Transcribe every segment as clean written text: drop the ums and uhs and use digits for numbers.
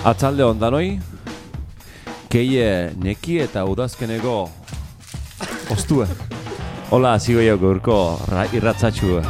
Atzalde ondanoi, keie neki eta udazkeneko ostue. Hola, zigo jau gaurko irratzatxua.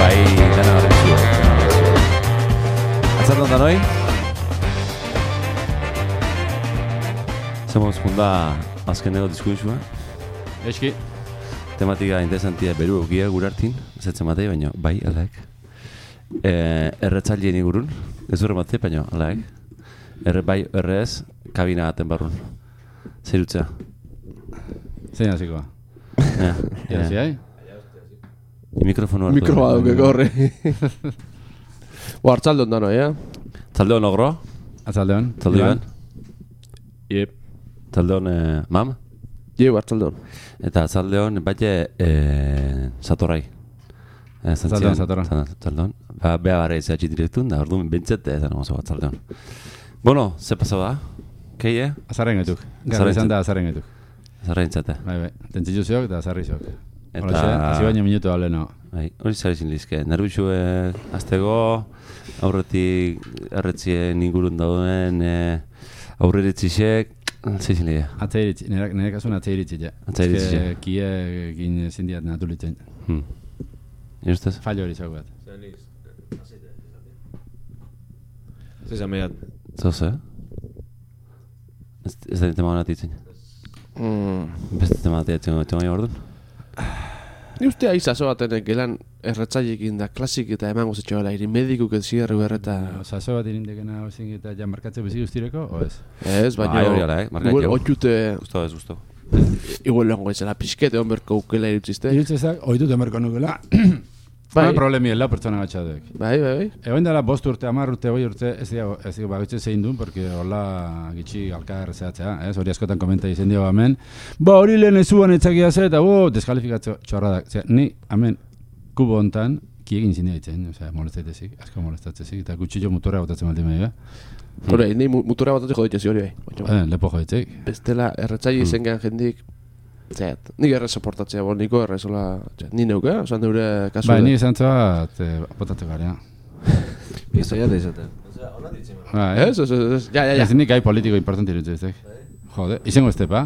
Bai, dena garrantzio. Atzalde ondanoi? Zemoz funda azkeneko diskurtsua. Eski. Tematika interesantia beru egia gurartin, zetzen matei, baina bai, alaek. Erretzaileen igurun, ez urre matei, baina alaek. Bai, errez, kabina aten barrun. Zerutza. Zein hasikoa. Ja, ziai? Mikrofono hartu. Mikrofoa duke gorre. Artzalde ondano, Tzalde hon ogro? Atzalde hon. Tzalde hon? Yep. Tzalde hon mam? Jeu, artzalde hon. Eta tzalde hon bate Satorrai. Tzalde hon. Beha barra izatxe direktun, da orduan bentzete ezan oso bat tzalde hon. Bueno, ze pasau da? Keie? Azarren gaituk. Garra izan da azarren gaituk. Azarren zate. Bai, tentzitu zeok eta azarri zeok. Eta... Hazi baina minutu hable, no. Bai, hori zarizin lizke. Nervixue aztego, aurretik erretzien ingurun dauden, aurreritzisek, zeizin lehia. Atzeiritzi, nire kasun atzeiritzi, ja. Atzeiritzi, ja. Kie egin zindiat natulitzen. Irustez? Fallo hori zauk bat. Zezan behat. Zoze? Ez da tema hona titzen. Beste tema titzen baina orduan? Ni uste aizazo baten gelan erretzailekin da klasik eta emango zetxo gala, irin medikuk ez zigarru erreta... Zazo bat irindekena hozin eta ja markatze bezik ustireko, o ez? Ez, baina... Hori ala, markatze. Otxute... Gusto ez, gusto. Igual lehango izela pixkete honberko ukela irutzizte. Irutzezak, oitut emerko nukela. Bai. Problemi la pertsona gatxadek. Bai. Egoin dela 5 urte, 10 urte, 20 urte, ez dira bagoitze zein duen, porque hola gitxi alka errezeatzea, ez? Hori askotan komenta izen dio hemen. Hori lehen ezuan etzakia ze, eta deskalifikatzo txorradak. Ni, hemen, kubo hontan, kiegin zindia ditzen, molestetzezik, asko molestatzezik, eta gutxillo motorra botatzen baldin bai, Hore, ni motorra botatzen joditzezi hori bai. Lepo joditzeik. Bestela, erretzaile izen gehan jendik, Zet, nik errez soportatzea, niko errez, ni neuke, osan neure kasu... Bai, ni izan zoat, botatzen gara, Izoia da izaten. Ez, ja. Ez nik gai politiko importanti irutzezek. Jode, izango estepa.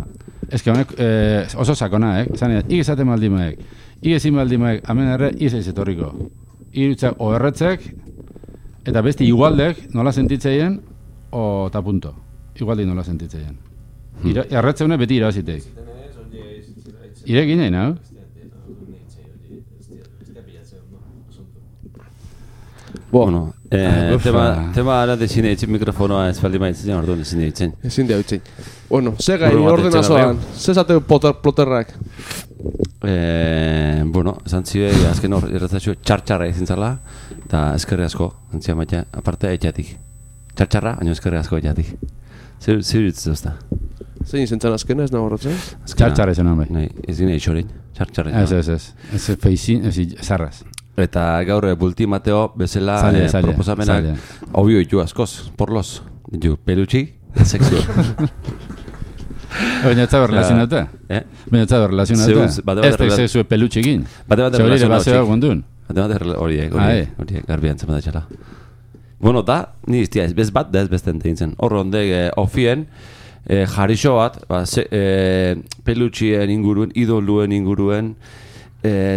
Ez que honek oso sakona, Zanean, ig esaten maldimaek, ig ezin maldimaek, amen erre, izaiz etorriko. Irutzak o erretzek, eta beste igualdek nola sentitzeien, o ta punto. Igualdek nola sentitzeien. Erretzeune beti irabazitek. Irekin nahi, no? Bueno, Tema ara desine etxe mikrofonoa ez baldin maitzen, orduan ezin ditzen. Ezin dira utzin. Bueno, ze gai Buru bat ordenazoan, ze zate ploterrak. Bueno, esan zide, azken hor, erretzatxo txartxarra ezin zala, eta eskerri asko, antzia maita, aparte etxatik. Txartxarra, baina eskerri asko etxatik. Zer dituz duzta? Zein zentzen azkena, ez nago horretzen? Txartxarra esan hon bai. Ez gine eixorein, txartxarra. Ez feixin, ez zarraz. Eta gaur bulti Mateo bezala proposamenak obio ditu askoz, porlos. Ditu pelutxi, sexu. Baina ez da berrelazionata? Baina ez da berrelazionata? Ez da sexu pelutxekin? Bate relazioa gondun? Horiek, garbian zen badatxala. Bueno, da, ni iztia ez bez bat, da ez besten tegintzen. Horro ondek, ofien, jarixo bat, pelutxien inguruen, idoluen inguruen,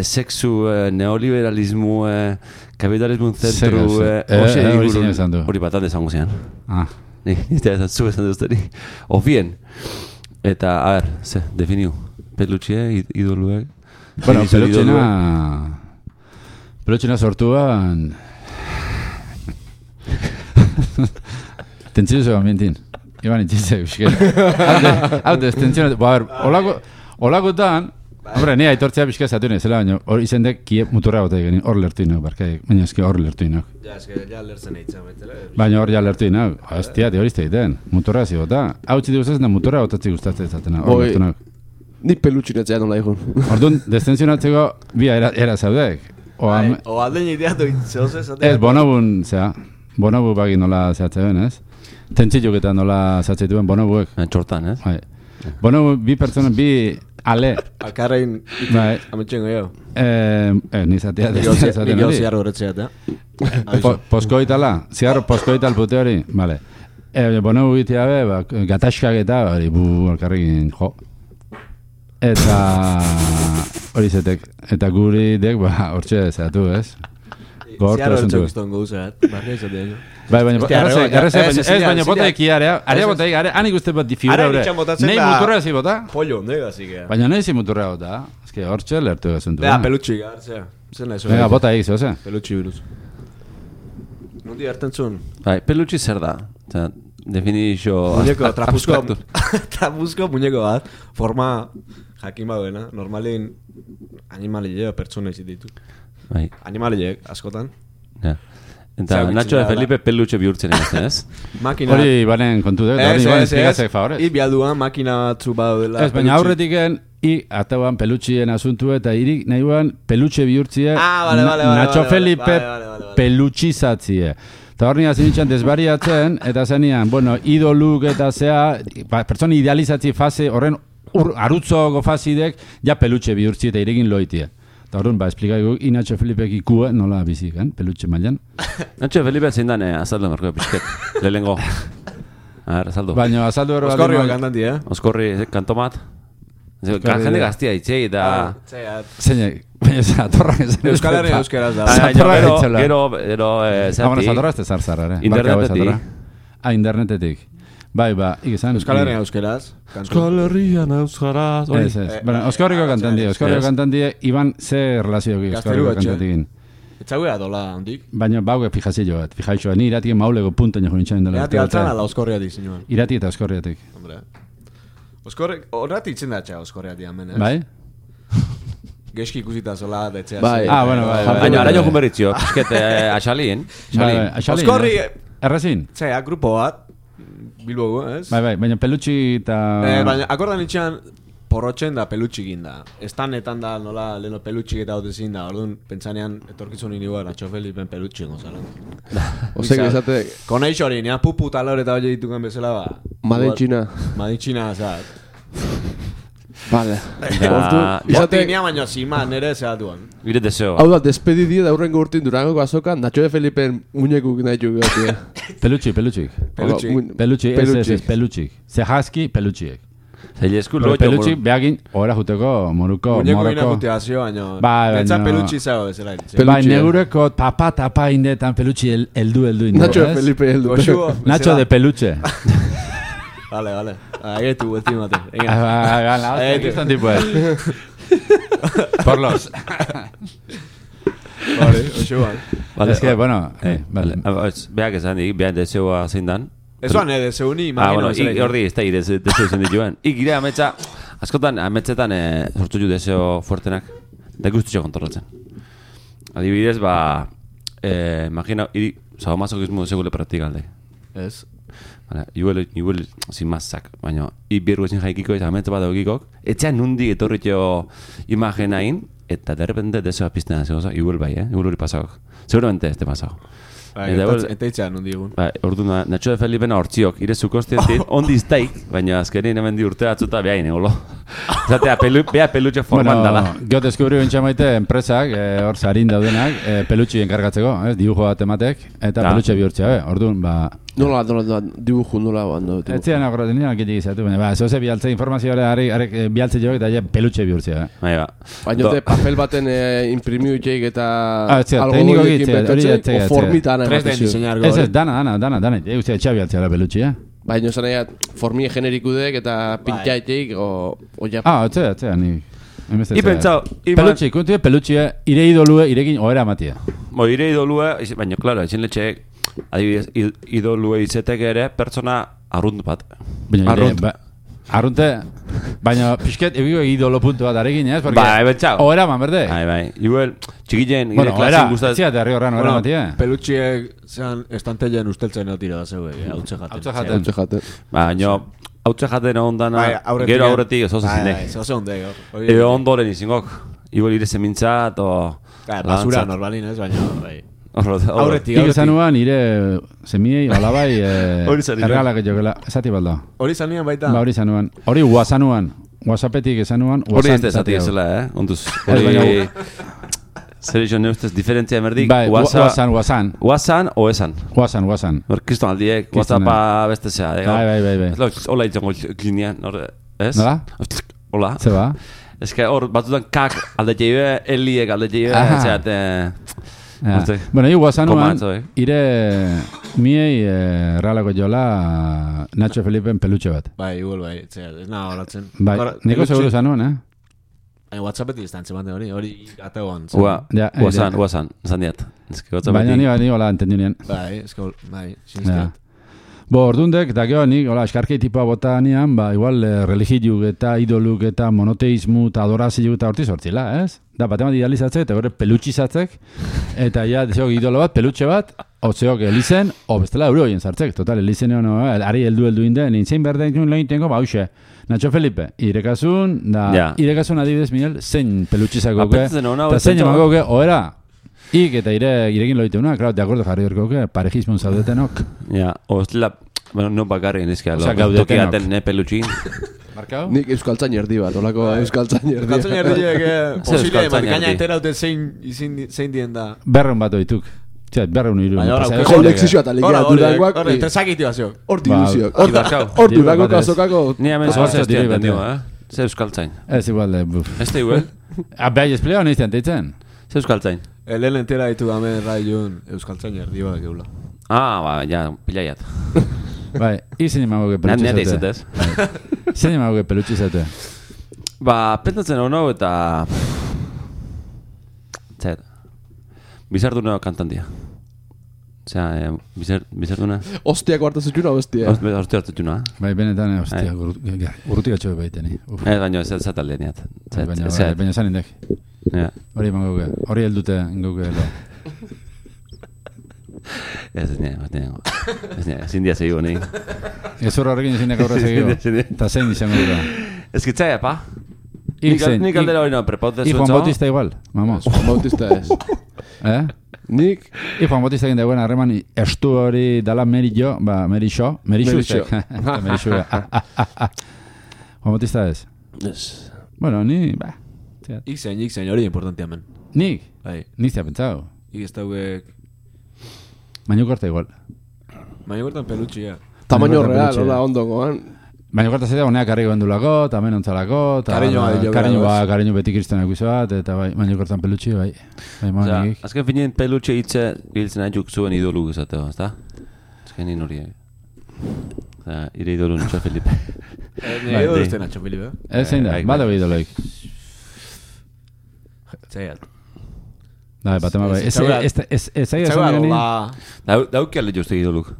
sexu, neoliberalismu, kapitalismo zentru, hori bat hande zango zian. Niztea ez zu esan duzteri. Ofien. Eta, a ver, ze, definiu. Pelutxie, idoluek. Bueno, pelutxena sortuan... Tentzio zegoen mintin. Iban itxizek, bizket. Haute, tentzio... A ver, olakotan... Hombre, ni aitortzea bizka zatu nezela, baina hor izendek kie muturra gote egin, hor lertu inok, barkaik, baina eski hor lertu inok. Ja, eski, ja lertzen eitzen baitela. Baina hor ja lertu inok, hostia, hori izte egiten, muturra zi gota. Hau txiti guztatzen da muturra gotatzi gustatzen zatena, hor lertu inok. Ni pelutxinetzea nola egun. Orduan, destenzionatzeko bi era zaudek. O aldein ideatu itzeoz ez? Ez, bonobun, zera, bonobu bagi nola zehatzen, ez? Tentziluk eta nola zehatzeituen bonobuek. Txortan, ez? Bonobu, bi pertsona, bi... Ale. Alkarrein ametxengo jo. Nizatea. Nik jo ziarro horretzeat, Poskoitala? Ziarro poskoital pute hori? Vale. Bono guitea be, gataskak eta hori alkarrekin jo. Eta hori zetek. Eta guri dek, hortxe zehatu, ez? Ziarro hortxok gauzaat. Barri ezatea jo. Bai, baina baina bota ekiarea, area bota ekiarea, hanik uste bat figura hori. Nei muturra ezi bota? Pollo, nega zikea. Baina nahi zi muturra bota, ezke hortxe lertu gazuntu. Bea, pelutxi gartzea. Venga, bota egizio, ze? Pelutxi biruz. Nundi hartzen zuen? Bai, pelutxi zer da? Definizio muñeko, trapuzko muñeko bat, forma jakin baduena, normalin animalilea pertsona izit ditu. Animalileek, askotan. Ja. Eta Nacho de Felipe pelutxe bihurtzen egiten, ez? Hori banen kontu dut, hori banen esplikazek favorez. I bialduan makina batzu badu dela. Ez, baina aurretiken, i atauan pelutxien asuntu eta irik nahiuan pelutxe bihurtzie Nacho Felipe pelutxizatzie. Eta hor nina zinitxan desbariatzen, eta zenian, bueno, idoluk eta zea, pertsona idealizatzi fase, horren arutzoko fazidek, ja pelutxe bihurtzie eta irikin loitie. Eta horren, esplikaiko, Nacho Felipek ikue nola bizik, pelutxe mailan. Nacho Felipe zein dan, azaldu marko pisket, lehengo. A ver, azaldu. Baina, azaldu hori... Oskorri bat kantanti, Oskorri, kantomat. Jende gaztia itxei, eta... Zeinek, baina zatorrak ez... Euskal Herria euskeraz da. Gero, zati... Zatorra ez tezartzara, internetetik. Internetetik. Bai, ikizan... Euskal Herria euskeraz. Euskal Herrian euskaraz. Oskorriko kantanti, iban ze relazioak Oskorriko kantantikin. Etzaguea dola handik. Baina bauke fijazio bat, fijaixoa. Ni iratien mauleko punta nio jonitxain dela. Irati altzan ala Oskorriatik, zinuan. Irati eta Oskorriatik. Hombre. Horrati itzen datxa Oskorriatik amen, ez? Bai? Geski ikusita zola, detzea. Bai. Bueno, bai. Baina, araño junberritzio, piskete, axalien. Oskorri... Errezin? Zea, grupo bat. Bilbogo, ez? Bai, baina pelutxi eta... Baina, akordan itxean, porrotxen da pelutxikin da. Estanetan da, nola, leheno pelutxik eta haute zin da. Orduan, pentsanean, etorkizun inigoa, Nacho Felipen pelutxik gozala. Osek esate... Koneix hori, nea pupu talor eta hori dituken bezala, ba... Madintxina. Madintxina, zat. Vale. Boti nia baino zima, nere zehatuan. Bire deseo. Hau da, despedidio da hurrengo urtin Durangoko azokan, Nacho de Felipen muñekuk nahi txuk gautia. Pelutxik. Zehazki pelutxiek. Zailesku loio. Pelutxik behagin, ora juteko, moruko. Muñeko ina puteazio, baino. Pentsa pelutxi zego bezala. Bai, negureko tapa indetan pelutxi eldu. Nacho de Felipe eldu. Nacho de pelutxe. Vale. Agetu, estimate. Aquí están tipo Por los. Vale, oxo, Es que, bueno... Beak esan dik, beak deseoa zein dan. Ezoan, deseuni, imagino. Hordi, ez da, deseo zen dituen. Gire ametsa, askotan, ametsetan sortu ju deseo fuertenak, da guztutxo kontrolatzen. Adibidez, imagina, sadomasokismo segule praktikalde. Ez. Igual sin mazak, baina berru ezin jaikiko ez ametsa bat egikok, etxean nundi etorritxo imagenain, eta derrepente deseoa pizten da, igual bai, igual hori pasagok. Seguramente ez te pasagok. Eta itxean nundi egun. Orduan, Nacho de Felipena hortziok, irezu kostientin, ondi iztaik, baina azkenin hemen di urte atzuta behain, egolo. Zatea, beha pelutxe forman dala. Gio deskubri bintxa maite, enpresak, hor zarin daudenak, pelutxi enkargatzeko, dibujo bat ematek, eta pelutxe bihurtzea, orduan, Nola, dibujo nola bando. Etzian akorraten nire alkitik izatu, baina, zoze bialtze informazioa arek bialtze joak eta pelutxe bihurtzea. Baina, papel baten imprimiu itxeik eta tekniko gitzea, o formitan 3D diseñar gore. Ez, dana, eguzia etxabialtzea la pelutxea. Baina, zanea, formie generikudek eta pintxaitek, Etzea, ni... Ipentzau, pelutxi, kontu pelutxia, ire idolue, irekin oera matia. Ire idolue, baina, klaro, ezin letxeek, adibidez, idolue izetek ere, pertsona arrunt bat. Arrunte, baina pixket, egiko idolo puntu bat arekin, ez? Bai, betxau. Oera man, berde? Bai, igual, txikilen, gire klasin guztat... Ziate, herri horran oera matia. Pelutxiek, zean, estanteilen usteltzen eutira da zeuek, hautze jaten. Baina, hautze jaten ondana, gero aurretik ez oso zindek. Ez oso ondek. Ego ondoren izingok. Igual ire zemintzat, basura normalin ez, baina, bai. Aurretik. Zanuan, ire semiei, olabai, erregalak jokela. Esati balda. Hori zanuan baita? Hori zanuan. Hori guazanuan. Guazapetik ezanuan. Hori ez esati ezela, Onduz, hori... Zer izan neustez, diferentzia emerdik? Bai, guazan. Guazan o esan? Guazan. Hor, kriston aldiek, guazapa beste zea. Bai. Hola itzengo linean, ez? Nola? Hola. Zeba? Ez que hor, batutan kak aldetxe eliek aldetxe Bueno, guazanuan, ire miei realako jola Nacho Felipen pelutxe bat. Bai, igual, ez naha horatzen. Bai, niko seguro zanuan, WhatsAppetik izan zemate hori ategoan. Guazan, zan diat. Baina ni hola entendinien. Bai, sinizkiat. Ordundek, eta gero nik, eskarkei tipoa bota nian, igual religiuk eta idoluk eta monoteismu eta adorazioak eta horti sortzila, ez? Da, batemat idealizatzek eta gore pelutxizatzek, eta ja, deseok idolo bat, pelutxe bat, otzeok elizen, bestela euro hien zartzek, total, elizen egon, ari heldu inden, nintzein berden ikun lehin tengo, hause, Nacho Felipe, irekasun adibidez, Miguel, zein pelutxizako eta zein emako oera, eta irekin loiteuna, claro, de acuerdo jarri horko, parejismon zaudetenok. Ja, ostela, bueno, no bakarri nezkia, tokiaten pelutxin. Markau? Nik euskaltzain erdi bat, olako euskaltzain erdi. Euskaltzain erdiek, posile, marikaina enteraute zein dien da. Berreun bat oituk. Berreun iru. Kolexizioa eta legia durangoak. Horre, entresakiti bazio. Horti iluzio. Hor durango kasokako. Ni hemen zoaz ez dira Ze euskaltzain? Ez igual, Ez da igual? Behar espleo nahi ziantetzen? Ze euskaltzain? Lehen entera ditu damen raiun euskaltzain erdi bat geula. Ja, pilaiat. Bai, izin emagoke pelutxe zate. Nete izetez. Izin emagoke pelutxe zate. Pentatzen hau eta... Zer, bizarduna kantantia. Osea, bizarduna... Ostiako hartu zutxuna, ostia. Ostia hartu zutxuna. Bai, benetan, ostia, urrutik atxo baiteni. Baina ez zatalde niat. Baina zan indek. Hori emangoke, hori heldute ingoke. Ez niango. Zindia segigo, nahi. Ez horra horrekin zindiak aurra segigo. Eta zein izango dira. Ez kitzai, apa? Nik aldera hori no, prepautez zutzo. Juan Bautista igual, vamos. Juan Bautista ez. Nik? Juan Bautista egin dagoen harreman estu hori dala Merixo. Merixo. Juan Bautista ez. Ez. Bueno, ni, Ixen, hori importante hemen. Nik? Nik zea pentsau. Ik ez dauek... Baino korta igual. Baino kortan pelutxia. Tamaño real, hola, ondokoan. Baino korta zaitea, honeak karriko bendulako, tamen ontzalako, kariño beti kristonak bat, eta baino kortan pelutxi, bai. Azken finien pelutxe hitze biltzen aitzuk zuen idolu gizateo, ezta? Azken nien horiek. Ire idolu Nacho Felipe. Nire idolu uste Nacho Felipe. Ez zein da, badago idoloik. Zaiat. Bai, batema bai. Ez aia esan gani? Dauki alde jozte gidoluk.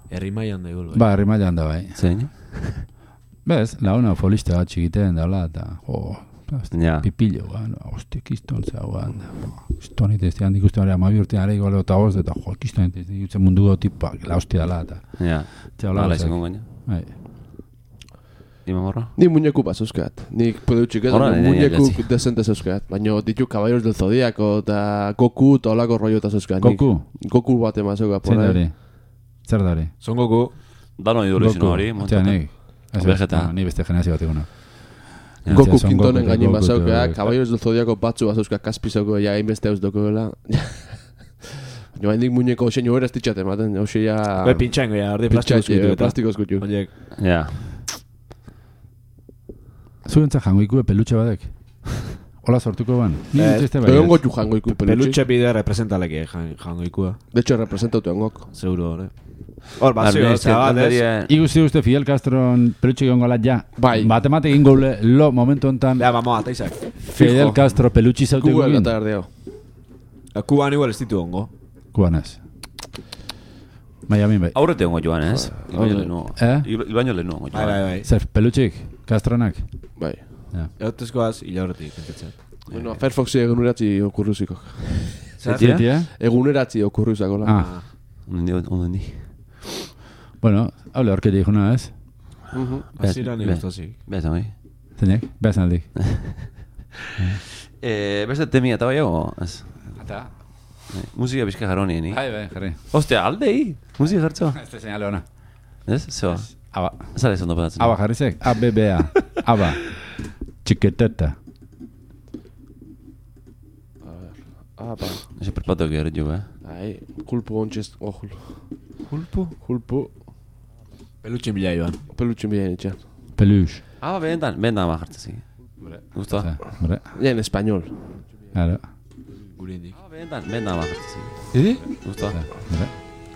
Herri mailan da igual, bai. Herri mailan da, bai. Zein? Bez, launa folista bat txikiten daula, eta pipillo, hostia, kiston zauan, kiston itezti handik uste barea, mabi urtean ere igual eta hoz, eta kiston itezti jutzen mundu tipa, la hostia dala, eta... Ja, hala izango gaina. Ni mamorra? Ni muñeku bat zeuzkat. Nik peluchik ez, muñeku desente zeuzkat. Baina ditu Caballeros del Zodiaco eta Goku eta olako rollo eta zeuzkat. Goku? Goku bat ema zeuka. Zer da hori? Son Goku. Dano idolo izan hori. Hostia, ni beste generazio bat eguna. Goku kintonen gainin bat zeukak, Caballeros del Zodiaco batzu bat zeuzkat, kaspi zeuko, ja hainbeste eus dokoela. Jo, hendik muñeko xeño eraz titxate ematen, hauxe ja... Pintxango, ja, ordi plastikoz gutu. Ja. Zuentzak jangoiku pelutxe badek? Hola sortuko ban? Egon gotu jangoiku pelutxe. Pelutxe bide representalek jangoikua. De hecho, representatu engok. Seguro, hori. Hor, bazio, zabadez. Iguzi uste Fidel Castron pelutxe egon gola ja. Bai. Matematik ingole, lo momentu ontan... Ja, vamos, ata izak. Fidel Castro pelutxe zaute egin. Kuba eta erdeo. Kuban igual ez ditu ongo. Kuban ez. Miami bai. Aurrete ongo joan ez. Ibaino lehenu ongo joan. Bai. Zer, pelutxik? Castronak? Bai. Eutezkoaz, hila horretik, entetzen. Bueno, Firefoxi eguneratzi okurruziko. Zer? Eguneratzi okurruzakola. Ondo ni. Bueno, hable horketi juna ez? Azira ni guztazik. Beazan bai. Zeinek? Beazan aldik. Beste temia eta bai ego? Eta? Musika bizka jarroni, ni? Bai, jarri. Ostia, aldei! Musika jartzo? Ez da señale ona. Ez? Zeba? Aba. Zara ez ondo patatzen? Aba jarrizek? A-B-B-A. Aba. Txiketeta. Aba. Ese perpato que eres yo, Ai, kulpu ontxez... Kulpu? Pelutxin bila joan. Pelutxin bila nitxan. Pelux. Bendan ma jartzen zi. Gusto? Ja, en español. Claro. Gurindik. Bendan ma jartzen zi. ¿Y? Gusto?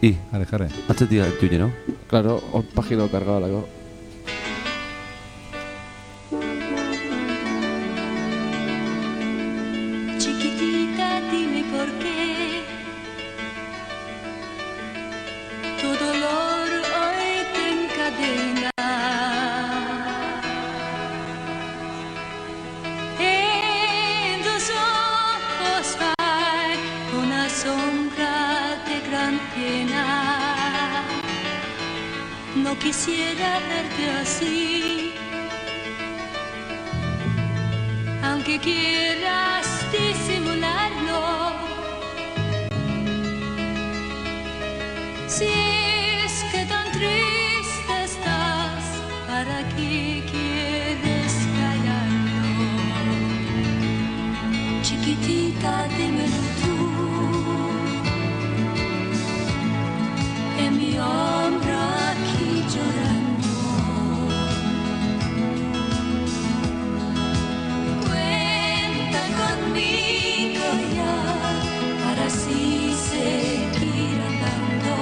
¿Y? Jarre. Atzetik tuyo, no? Claro, pagina cargada lago. No quisiera verte así, aunque quieras disimularlo. Si es que tan triste estás, ¿para qué quieres callarlo? Chiquitita, dímelo tú, en mi hombro aquí llorando. Cuenta conmigo ya para así seguir andando.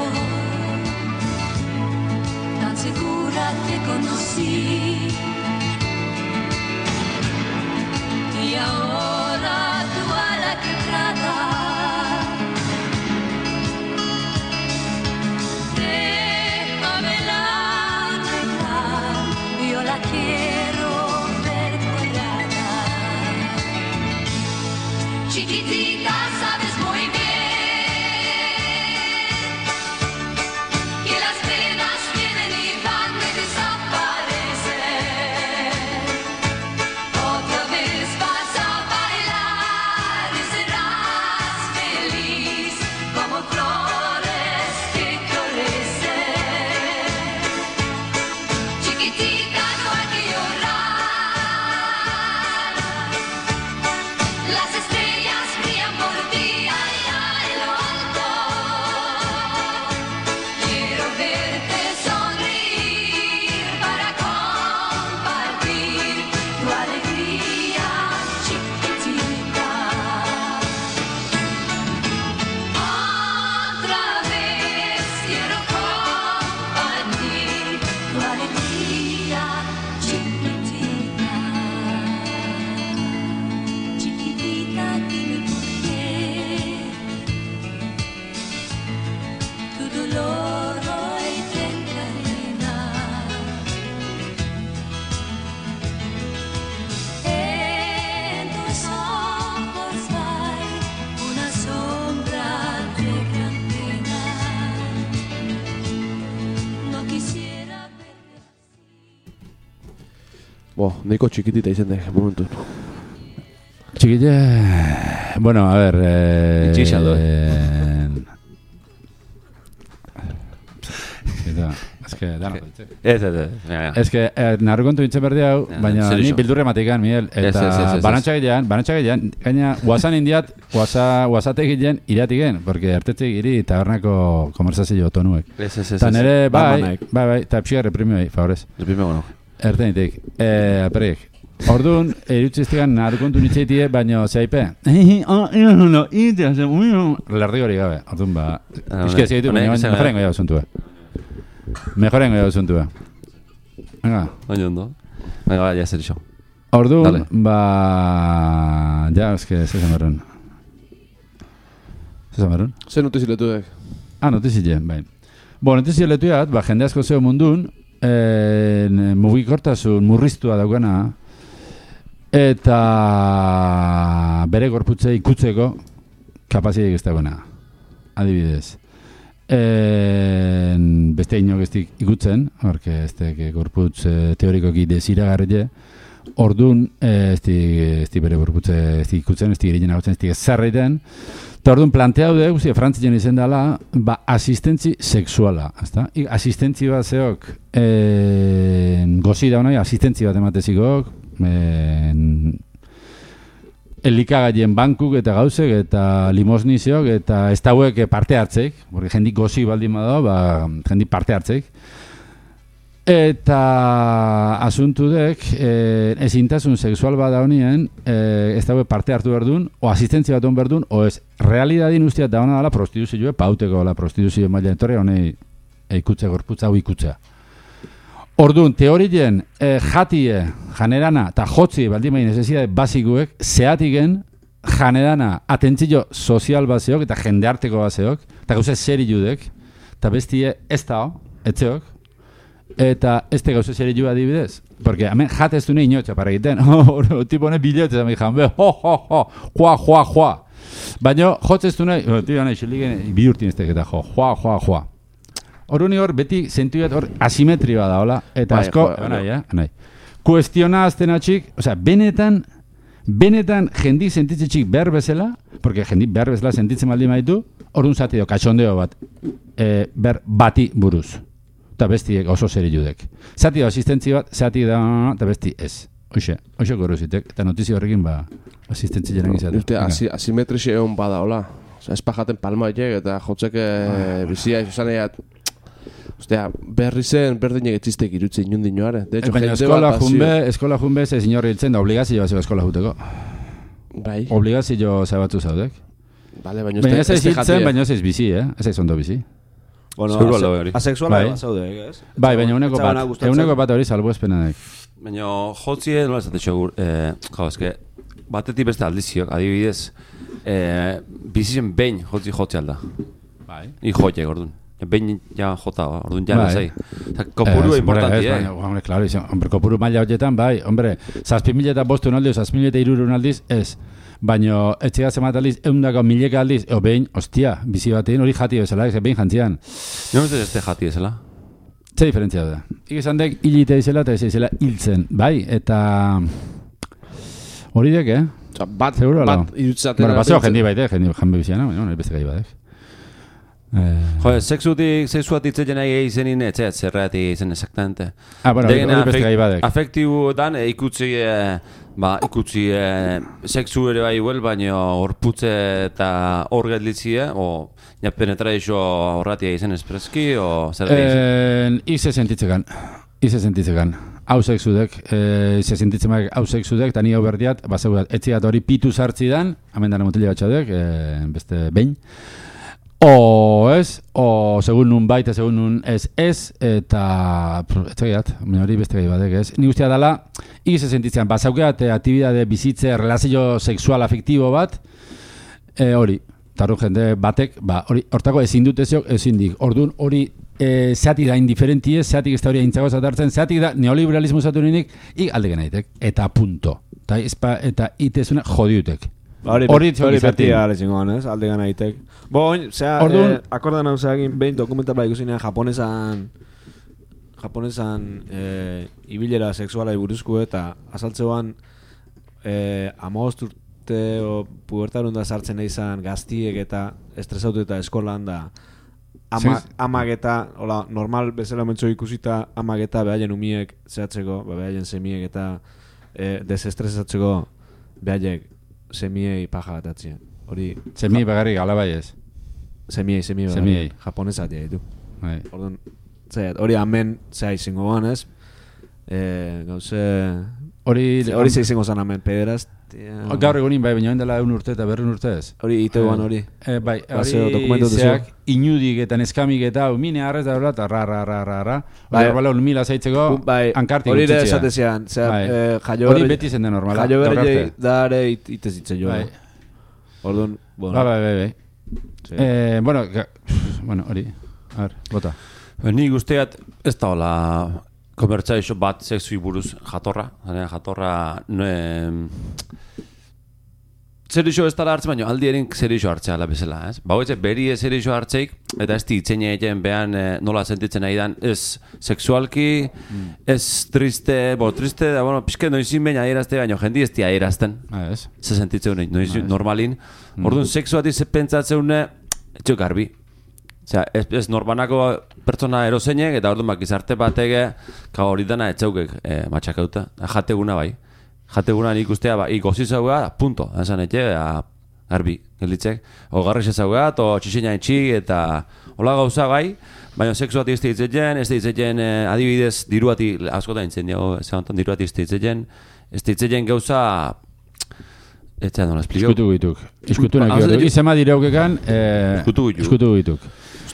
Neiko txikitita izen dek, momentu. Txikite... Bueno, a ver... Itxixa do. Es que da Ez. que narru kontu nintzen berdi hau, baina ni bildurre matikan, Miguel. Eta banantxagilean, gaina guazan indiat, guazatek gilean iratigen, porque artetzek iri tabernako konversazio tonuek. Eta nire, bai, eta pxigarre premio favorez. Primeo, Ertenitek, aperek. Orduan, erutziztegan narru kontu nintzeitie, baina zeipe. Lerdi hori gabe, orduan ba. Euskera zigitu, baina mejorengo jau zuntua. Venga. Baina ondo. Venga, ya zer iso. Orduan, ba... Ja, eske, zezan berrun. Zer notiziletu dek? Notizile, bai. Notiziletu jat, ba, jende asko zeo mundun, mugikortasun murriztua daukana, eta bere gorputze ikutzeko kapazitek ez dagoena. Adibidez. Beste inok ez ikutzen, porque ez gorputz teorikoki desiragarri, orduan ez bere gorputze ez ikutzen, ez girinen agotzen, ez zarreiten, eta orduan planteau de, guztia, frantzien izen dela, ba, asistentzi sexuala, ezta? Asistentzi bat zeok, gozi da honai, asistentzi bat ematezikok, elikagaien bankuk eta gauzek eta limosniziok eta ez dauek parte hartzeik, porque jendik gozi baldin bada, ba, jendik parte hartzeik. Eta asuntu dek, ezintasun sexual bada honien, ez dauek parte hartu berdun, o asistentzia bat hon berdun, o ez realidadin ustiat da hona dela prostituzioa, pauteko la prostituzio maila etorre honei ikutze gorputza hau ikutza. Orduan, teorien jatie, janerana eta jotzi baldin bain necesidade basikuek, zehatigen janerana atentzio sozial baseok eta jendearteko baseok, eta gauze seri judek, eta bestie ez dao, etzeok, eta ez te gauze seri juda adibidez. Porque hemen jatez du nahi inotxa para egiten, tipo honek bileotzez amik jan, joa. Baina jotzez du nahi, tira nahi xeligen bihurtin ez teketa, joa. Horuni hor, beti zentuiat hor asimetrioa da, hola? Eta asko, nahi. Kuestiona azten atxik, osea, benetan jendik sentitzitxik behar bezala, porque jendik behar bezala sentitzen maldi maitu, orduan zati do, katxondeo bat, bati buruz. Eta bestiek oso zeri judek. Zati do, asistentzi bat, zati da, eta besti ez. Hoxe gorruzitek, eta notizio horrekin, ba, asistentzi jaren izatek. Asimetrixe egon bada, hola? Osea, ez pajaten palma eta jotzeke bizia, izan egiat, ostea, berri zen, berdinek etxistek irutzen inundin joare. Baina eskola junbe ez inorri hiltzen da obligazioa zego eskola juteko. Bai. Obligazio zabatzu zaudek. Vale, baina ez hiltzen, baina ez bizi, ez ez ondo bizi. Bueno, asexuala zaudek, ez? Bai, baina euneko bat hori salbo espenanek. Baina jotzie, nola esate txogur, eske, batetik beste aldiziok, adibidez, bizizen behin jotzi alda. Bai. Jotiek, orduan. Behin ja jota, orduan ja nazai. Kopuru importanti, Hombre, claro, hombre, kopuru maila horietan, bai, hombre, 7.000 eta 500 aldiz, 7.000 aldiz, ez. Baina, etxega zemat aldiz, 100.000 aldiz, behin, ostia, bizi batean hori jati bezala, behin jantzian. Jo, ez ez jati bezala? Ze diferentzia da. Ikizan dek, hilite izela eta ez izela hiltzen, bai, eta... Hori dek, Bat irutzaten... Bueno, baseo jendi baite, jendi biziana, baina, beste gai badek. Sexuat itzetzen nahi izenin etxeat, zerreati izen exactamente. Bueno, hori beste gai badek. Afektibu dan, ikutzi sexu ere bai huel, baina horputze eta hor gelditzia, o penetrazio horratia izen espreski, o zer egin? Ize sentitzekan. Hau sexudek, ize sentitzen hau sexudek, eta ni hau berdiat, bazegudat, etziat hori pitu sartzi dan, hemen dana motile batxadek, beste behin. O ez, o segun nun baita, segun nun ez, eta etxegiat, hori beste gai badek ez. Ni guztia dela, igize sentitzen, bazaukeat aktibidade bizitze, relazio sexual afektibo bat, hori, tarru jende batek, hori, hortako ezin dut ezin dik. Orduan hori zeatik da indiferentie, zeatik ez da hori aintzago zatartzen, zeatik da neoliberalismo zatu ninik, aldegen aitek, eta punto. Eta itezune jodiutek. Hori beti alezingoan, ez? Alde gana itek. Boin, akordan hau zeagin, behin dokumental bai ikusinean japonesan japonesan ibilera sexuala buruzko eta azaltzeoan 15 urte o pubertarun da sartzen izan gaztiek eta estresautu eta eskolan da amak eta hola, normal bezala mentzo ikusita amak eta behaien umiek zehatzeko, behaien semiek eta desestresatzeko behaiek semiei paja bat atzien. Hori semiei bagarrik alabai ez? Semiei japonesatia ditu. Orduan, hori hemen zea izango goan ez? Gauze... Hori izango zan hemen, pederaz. Gaur egunin bai, baina dela 1 urte eta 2 urte ez? Hori iteguan hori. Bai, hori zeak inudik eta neskamik eta mine harrez da horrela eta ra. Hori bala mila zaitzeko ankartik hori ere esatezean. Hori beti zen da normala. Jaio berri da ere itezitze jo. Orduan, bueno. Bai. Bueno, hori. A ver, bota. Ni guztiat ez da hola konbertsaixo bat sexui buruz jatorra. Jatorra zerixo ez dala hartzen, baina aldi erin zerixo hartzea ala bezala, ez? Bauetxe, beri zerixo hartzeik, eta ez ditzen egin behan nola sentitzen nahi dan, ez seksualki, ez triste, da, pixke noizin baina aierazte, baina jendi ez di aierazten. Ze sentitzen noiz normalin. Orduan, seksuati pentsatzen etxo garbi. Ez norbanako pertsona erozeinek, eta orduan gizarte batege, hori dana etxaukek matxakauta. Jateguna bai. Jateguna nik ustea, gozi zaugea, punto. Esan garbi, gelditzek. O garrix zaugea, o txixina etxik, eta hola gauza gai, baina seksuati ez ditzen, adibidez, diruati, askotan intzen dago, diruati ez ditzen gauza, ez da nola esplikau. Iskutu nahi hori, izema direukekan, iskutu gituk.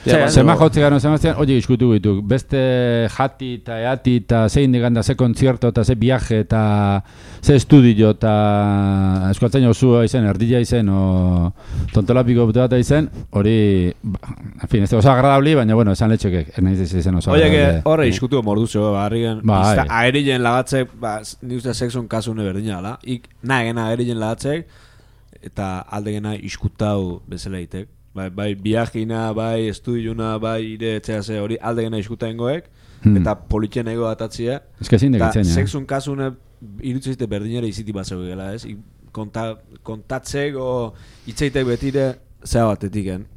Zema jotzi gano zemaztean, oie iskutu gituk. Beste jati eta eati eta zein diganda, ze kontzierto eta ze viaje eta ze estudio eta eskualtzaino osua izen, erdila izen o tontolapiko bat izen, hori, en fin, ez da oso agradabli, baina bueno, esan letxekek, nahiz izen oso agradabli. Oie, horre iskutu morduzo, harrigen, aerilen lagatzek, ni uste sexun kasune berdina ala, nahegena aerilen lagatzek, eta aldegena iskutau bezala itek. Bai, biagina, bai, estudiuna, bai, ire etxease hori aldegena iskuta ingoek, eta politxen ego atatzia. Ez que zindek itzen, sexun kasune irutzezite berdinera iziti bat zeu gela, ez? Kontatzek o itzeitek betire zea batetiken.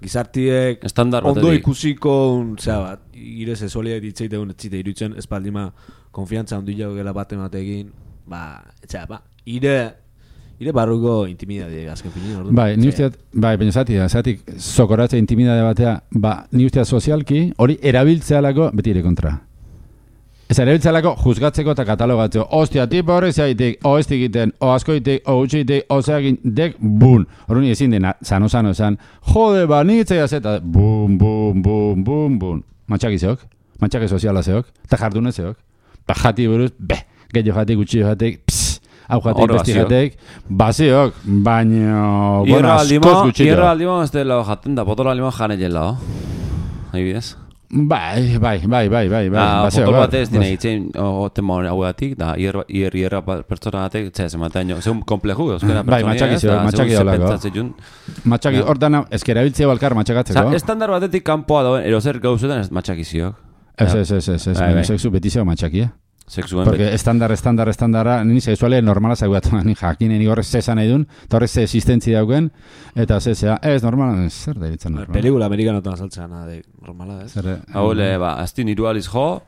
Gizartiek ondo ikusiko zea bat. Ire sexualiak ditzeitek etzite irutzen, espaldima konfiantza ondila gela bat ematekin, ire barruko intimidade azken finin, orduan. Bai, ni usteat, baina zatik sokoratze intimidade batea, ni usteat sozialki, hori erabiltzealako beti ere kontra. Ez erabiltzealako juzgatzeko eta katalogatzeko. Ostia, tipa horrek zaitik, o ez digiten, o askoitik, o utxitik, o zeagin, dek, bun. Horren ezin dena, sano esan, jode, nitzea zeta, bun. Matxakizeok, matxake soziala zeok, eta jardune zeok. Jati buruz, gehiago jatik, gutxio jatik, hau jatek, besti jatek, baziok, baina, askoz gutxito. Hierro aldimo, ez dela jaten da, potolo aldimo jane jela, ahibidez? Bai. Potolo bat ez dine itzen, tema hau gatik, da, hierra pertsona gatek, txez, ematen, zeun kompleju, euskera pertsonia ez, da, zeun zepentzatzen. Matxaki, hor dana, ezkera biltzea balkar matxakatzeko. Estandar batetik kanpoa dauen, erozer gauzetan ez matxakiziok. Ez, baina sexu betizeo matxakia. Porque estandara, ni sexuale normala zaugatu, ni jakinen igorrez zesan nahi duen, eta horrez existentzia dauken, eta zezea, ez normala, zer da iritzen normala. Pelikula amerikanotan azaltzea de normala, ez? Haule, azti niru aliz jo,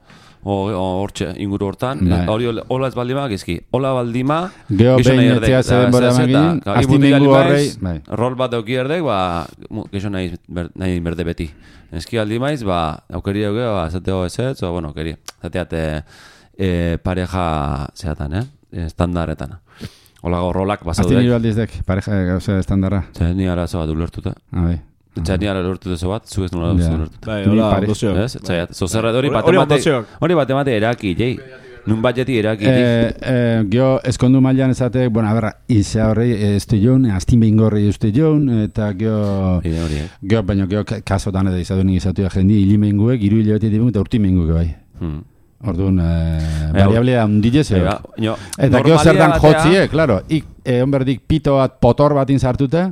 hortxe inguru hortan, hori hola ez baldima, gizki, hola baldima, geho behin etzea zeben bora emagin, azti ningu horrei, rol bat dauki erdek, gexo nahi berde beti. Eski aldimaiz, aukeri dauke, zateo ezetz, o, bueno, aukeri, zateate, pareja zeatan, estandaretan. Hola rolak basaude. Azti nire aldizdek, pareja gauze estandarra. Ni arazo bat ulertuta. Ni ara ulertuta zo bat, zu ez nula ulertuta. Bai, hola, ondozioak. Zozerra hori bat emate eraki, jei. Nun bat jeti eraki. Gio, eskondu mailan ezatek, bueno, a berra, izea horrei eztu joan, aztin behin gorri eztu joan, eta gio, baina gio, kasotan edo izatu nik izatu jendi, hilimenguek, iru hilabeti dibun, eta urti menguek bai. Orduan, variablea hundile zeo. Eta gio zertan jotzie, klaro, onberdik pito bat potor batin sartute,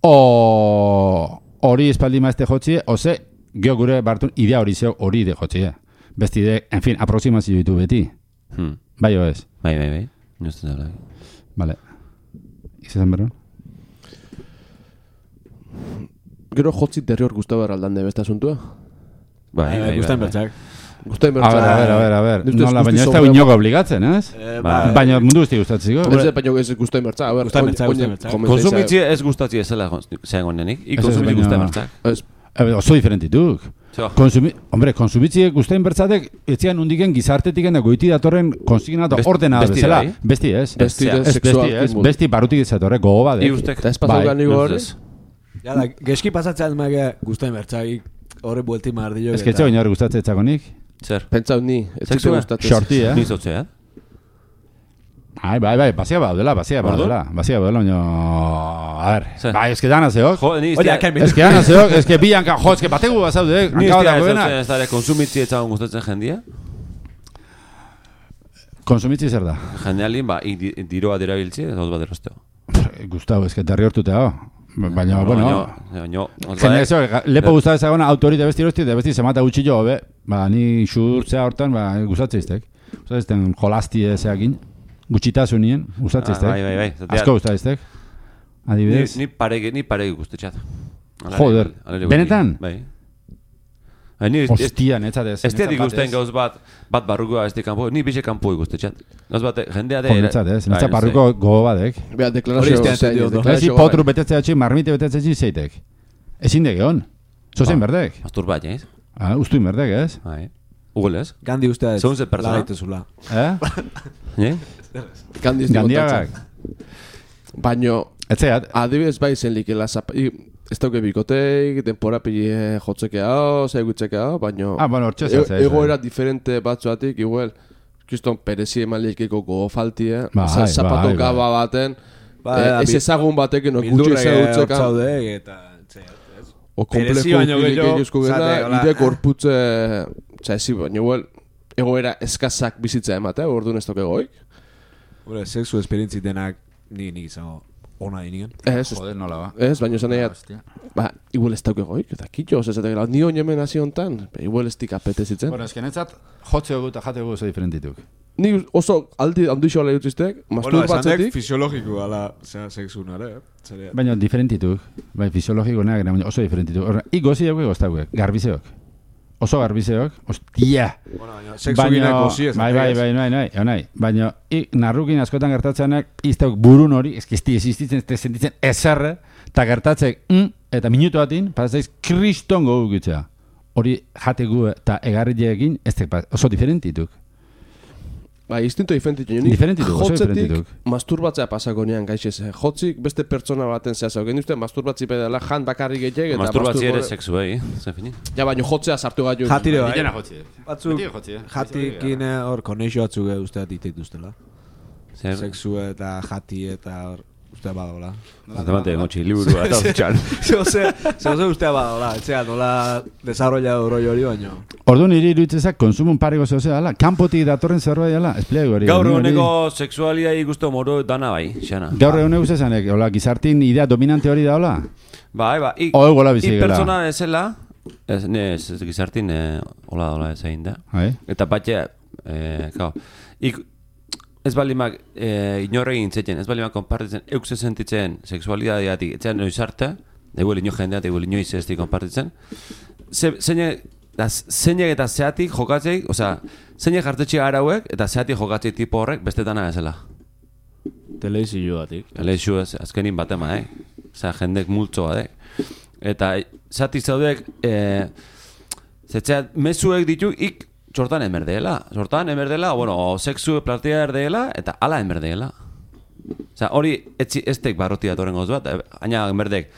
hori espaldi maazte jotzie, oze, Geo gure bartun idea hori zeo hori ide jotzi, Besti ide, en fin, aproximazio ditu beti. Bai o ez? Bai. Nuzten dara. Vale. Izan berro? Gero jotzi derrior guztu behar aldan de besta asuntua? Bai, guztain bertxak. Guztain bertxak. A ver. Nola, baina ez da inoga obligatzen, ez? Baina mundu guzti gustatziko. Baina ez guztain bertxak. Guztain bertxak. Konsumitzi ez gustatzi ezela zean gonenik. Konsumitzi guztain bertxak. Oso diferentituk. Konsumitzi guztain bertzatek etzian undiken gizartetiken da goiti datorren konsignatu ordena bezala. Besti ez. Besti barutik izatorre gogo badek. Eta ez pasaukan nigo hori? Geski pasatzen mage guztain bertxak horre buelti mardillo. Ez que etxeo inor gustatzen etxakonik? Zer? Pentsau ni. Shorty, Ni zotzea. Bai, bazia baudela, baina... A ver, bai, eske dana zeok. Eske dana zeok, eske bianka, eske bategu bazaude, hankabatu dena. Ni ez da konsumitzi etxagon gustatzen jendia? Konsumitzi zer da? Jendealin, diroa dirabiltzi, ez bat erosteo. Gustau, eske terri hortutea, baina, bueno... Lepo guztatzen zagona, autorite besti erosti, de besti zemata gutxillo, ni xurtzea hortan, gustatzeiztek. Gustatzeizten jolazti ezeakin. Gutxitasunien, gustatzeztek? Bai. Asko gustatzeztek? Adibidez? Ni paregi guztetxat. Joder, benetan? Bai. Ostia, netzatez. Ez diatik guztien gauz bat barrukoa ez di kanpo, ni bixe kanpo guztetxat. Gauz bat, jendea de... Netzatez, netzat barruko gogo badek. Bea, deklarazio... Ezi potru betetzea txik, marmite betetzea txik zeitek. Ezin dek egon. Zozein berdek. Masturbat, ez? Ustuin berdek, ez? Bai. Ugol ez? Gandhi ustea ez. Segun ze persona. Laitezula. Gandiagak. Baina... Etzeat. Adibidez bai zen likela ez dauke bikoteik, denpora pili jotzeke hau, zaigutzeke hau, baina... Bueno, hortxe egoera diferente batzuatik, igual, kriston perezi emalikeko gogo faltie, zapato gaba baten, ez ezagun batekin, gutxi ezagutzekan. O kompleko gehiaguzko gena, ide gorputze, txaezi, baina igual, egoera eskazak bizitza ematea, orduan ez toke goik. Sexu esperientzi denak nik izango ona inigen. Joder, nola ba. Ez, baina esan nahi, igual ez dauke goik, eta kitxo, esatek, ni oin hasi hontan, igual ez dik apetezitzen. Bueno, eskenetzat, jotzeo eta jateo oso diferentituk. Ni oso aldi handixo ala jutziztek, masturbatzetik. Bueno, fisiologiko ala sexu nare, baina diferentituk, fisiologiko nahi, oso diferentituk. Igozi dugu egoztauek, garbizeok. Oso garbizeok, ostia. Bueno, sexu ginak gozi ez. Bai. Baina, narrukin askotan gertatzeanak, izteok burun hori, eskizti existitzen, ez sentitzen ezerre, eta gertatzek, eta minutu batin, pasaiz, kriston gogu gitzea. Hori jategu eta egarrileekin, oso diferentituk. Instinto diferentituk. Oso diferentituk. Masturbatzea pasako nean gaixez. Jotzik beste pertsona baten zehazau. Gen duzten masturbatzi pedala jan bakarrik gehiagik. Masturbatzi ere sexu, zefini. Ja, baina jotzea sartu gaitu. Jatire bai. Jena jotzi. Batzuk, jatikin hor koneixo batzuk usteat dituztela. Sexu eta jati eta hor ustea badagoela. Atemate gotxi, liburua eta uztxan. Zehose ustea badagoela, etxea nola desarrolla roi hori baino. Ordu niri iruditzezak konsumun pareko zehose dala, kanpotik datorren zerbait dala, espliegu hori. Gaur eguneko sexualia igustu moro dana bai, xana. Gaur eguneko zezanek, gizartin idea dominante hori da, hola? Bai, ik pertsona ezela, ez gizartin, hola ezain da. Eta batxe, ez balimak inorregin zetien, ez balimak konpartitzen, eukse sentitzen seksualidadeatik, etxean noiz arte, eguel ino jendeat, eguel inoiz ez di konpartitzen, zeinek eta zeatik jokatzeik, zeinek jartetxe arauek eta zeatik jokatzeik tipo horrek bestetana ezela. Teleizio batik. Teleizio ez, azkenin batema, jendek multzoa, Eta zeatik zaudek, zetxeat mezuek ditu, Sortan emerdela, bueno, sexu platea erdeela, eta ala emerdela. Hori eztek barroti datoren goz bat, aina emerdek,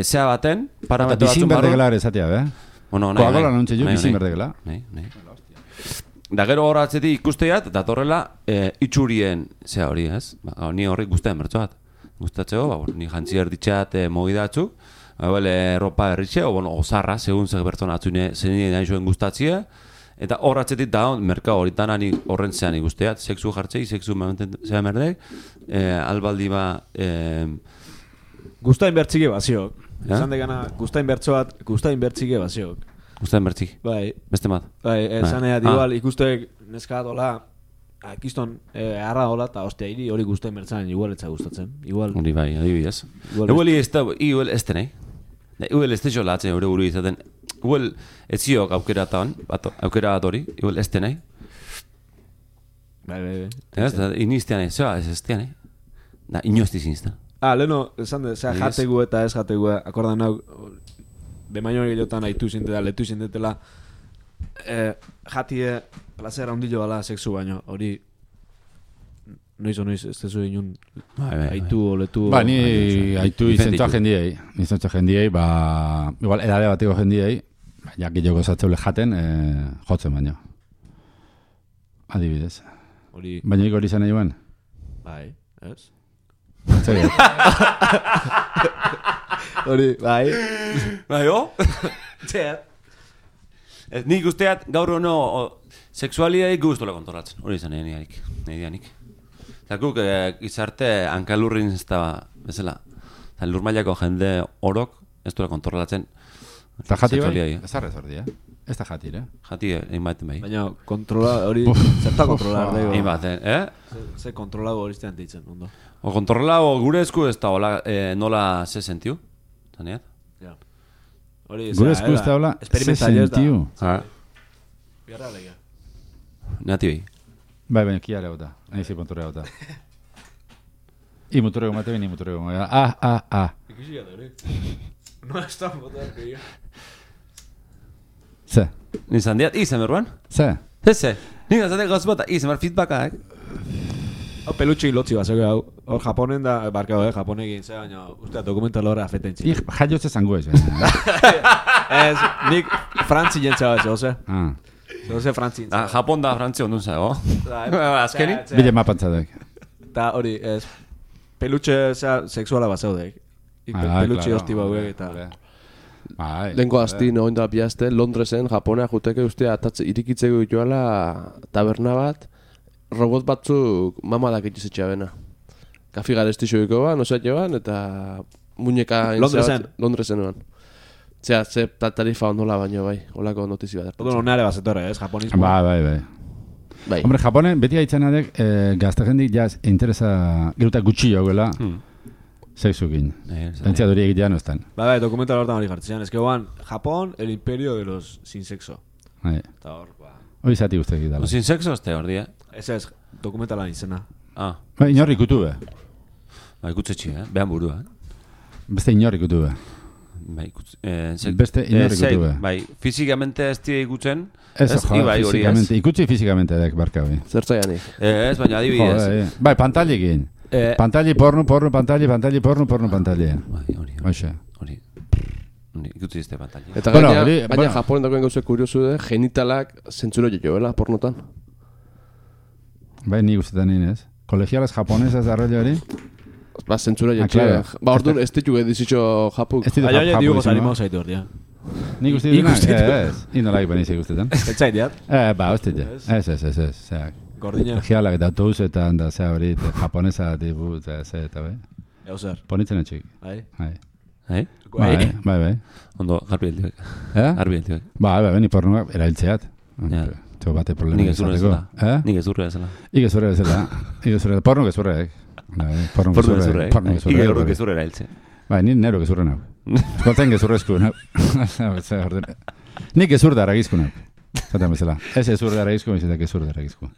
zea baten, parametro batzun barru. Bizin berdegela ere zatea, Koagola nontxe ju, bizin berdegela. Da gero horatzetik ikusteat, datorrela itxurien zea hori, ez? Ni horrik guztean bertzoat. Gustatzeko, ni jantzi erditxeat mogidatzuk, ropa erritxe, osarra, segun zeg bertzona atzune, zenien nahi zuen gustatzea, eta horratzetik da, merka horitan horren zean ikusteat, sexu jartzei, sexu momenten zean merdek, albaldi ba... Gustain bertzike baziok. Esan degana, gustain bertzoat, gustain bertzike baziok. Gustatzen bertzik. Bai. Beste mat. Bai, esan edat, igual, ikustek neska dola, kiston, harra dola, eta ostia, hori gustatzen bertzaren, igual etza gustatzen. Igual. Hori bai, adibidez. Igual ez denei. Igual ez dezo latzen eure buru izaten. Igual ez ziok aukera bat hori, igual ez denei. Bai. Ez, iniztean zeba ez estean, Da, inoizti zinzten. Leheno, esan de, jategu eta ez jategu, akordan hau, bemaino gehiagotan haitu zintela, letu zintetela, jatie placer handilo bala sexu baino, hori noiz, ez tezu inun haitu o letu. Ba, ni haitu izentua jendiei, igual edade bateko jendiei, ja gehiago zatzeule jaten, jotzen baino. Adibidez. Baina hori izan nahi guen? Bai, ez? Zer hori, bai. Bai, Zer. Nik usteat gaur hono sexualidei guztola kontrolatzen. Hori izan nahi dianik. Eta guk izarte hankalurrin ez da bezala. Eta lurmailako jende orok ez duela kontrolatzen. Eta jati bai? Ez arrez ordi, Ez da jatire. Jati egin baten bai. Baina kontrola hori, zerta kontrolar dago. Egin baten, Ze kontrolago hori iztean ditzen, ondo. O kontrolago gure esku ez da nola ze sentiu. Zaneat? Ja. Gure esku ez da hola ze sentiu. Biarra legia. Nati bai. Bai, baina kiare gota. Nahi zi ponturre gota. I muturrego mate bini muturrego. Ikisi gata hori. No estan botar que Ze? Nizan diat, izen berruan? Ze? Ze? Nizan zatek gauz bota, izen bar feedbacka, Hau pelutxe hilotzi bat, hau. Hor Japonen da, barkau, Japonek egin ze, baina usteat dokumental horre afetentzi. Jaiotze zango ez, Ez, nik frantzi jentza bat, oze? Oze frantzi jentza. Japon da frantzi ondun zago. Azkeni? Bile mapantzatek. Ta hori, ez, pelutxe sexuala bat zaudek. Pelutxe hosti bauek eta... Lengo asti noin da biazte, Londresen, Japonea juteke ustea irikitzeko joala taberna bat, robot batzuk mamadak itxizetxea bena. Kafi garestixoiko ban, osatio ban, eta muñeka... Londresen ban. Zea, ze tarifa ondola baino bai, holako notizi bat. Odo nare bazetorre, ez, japonismo. Bai. Hombre, Japonen beti haitzen adek, gazta jendik jaz interesa geruta gutxi joguela, sexukin. Pentsea duri egitea no estan. Bai, dokumental hortan hori jartzean. Ez que guan, Japón, el imperio de los sin sexo. Eta hor, hori zati guztek egitala. Sin sexo este hor dia? Ez, dokumentalan izena. Bai, inorri ikutu be. Bai, ikutzetxi, behan burua. Beste inorri ikutu be. Beste inorri ikutu be. Bai, fizikamente ez tira ikutzen. Ez, fizikamente. Ikutzi fizikamente dek, barka bai. Zertzaianik. Ez, baina adibidez. Bai, pantalikin. Pantali porno, pantali. Bai, hori. Ikutu izte pantali. Eta baina Japonen dagoen gauzek kuriosu de, genitalak zentzuro joela pornotan. Bai, ni guztetan inez. Kolegialas japonesas da rollo hori? Ba, zentzuro joela. Ba, orduan ez ditu edizitxo japuk. Baina diugo zalimau zaitu hor, dia. Ni guztetan ez. Inolak benizik guztetan. Ez zait, diat? Ba, hostia. Ez. Gordina. Kolegialak eta autobusetan da zea hori, japonesa tipu, eta bai. Ego zer. Ponitzen etxik. Bai? Bai. Ondo, garbi eltibek. Garbi eltibek. Bai, ni pornoak erailtzeat. Txo bate problema izateko. Nik ezurre ezela. Nik ezurre, porno gezurre, Porno gezurre erailtze. Bai, ni nero gezurre nau. Eskoltzen gezurre esku nau. Nik gezur da aragizku nau. Zaten bezala. Ez ezurre da aragizku, ez gezurre da aragizku.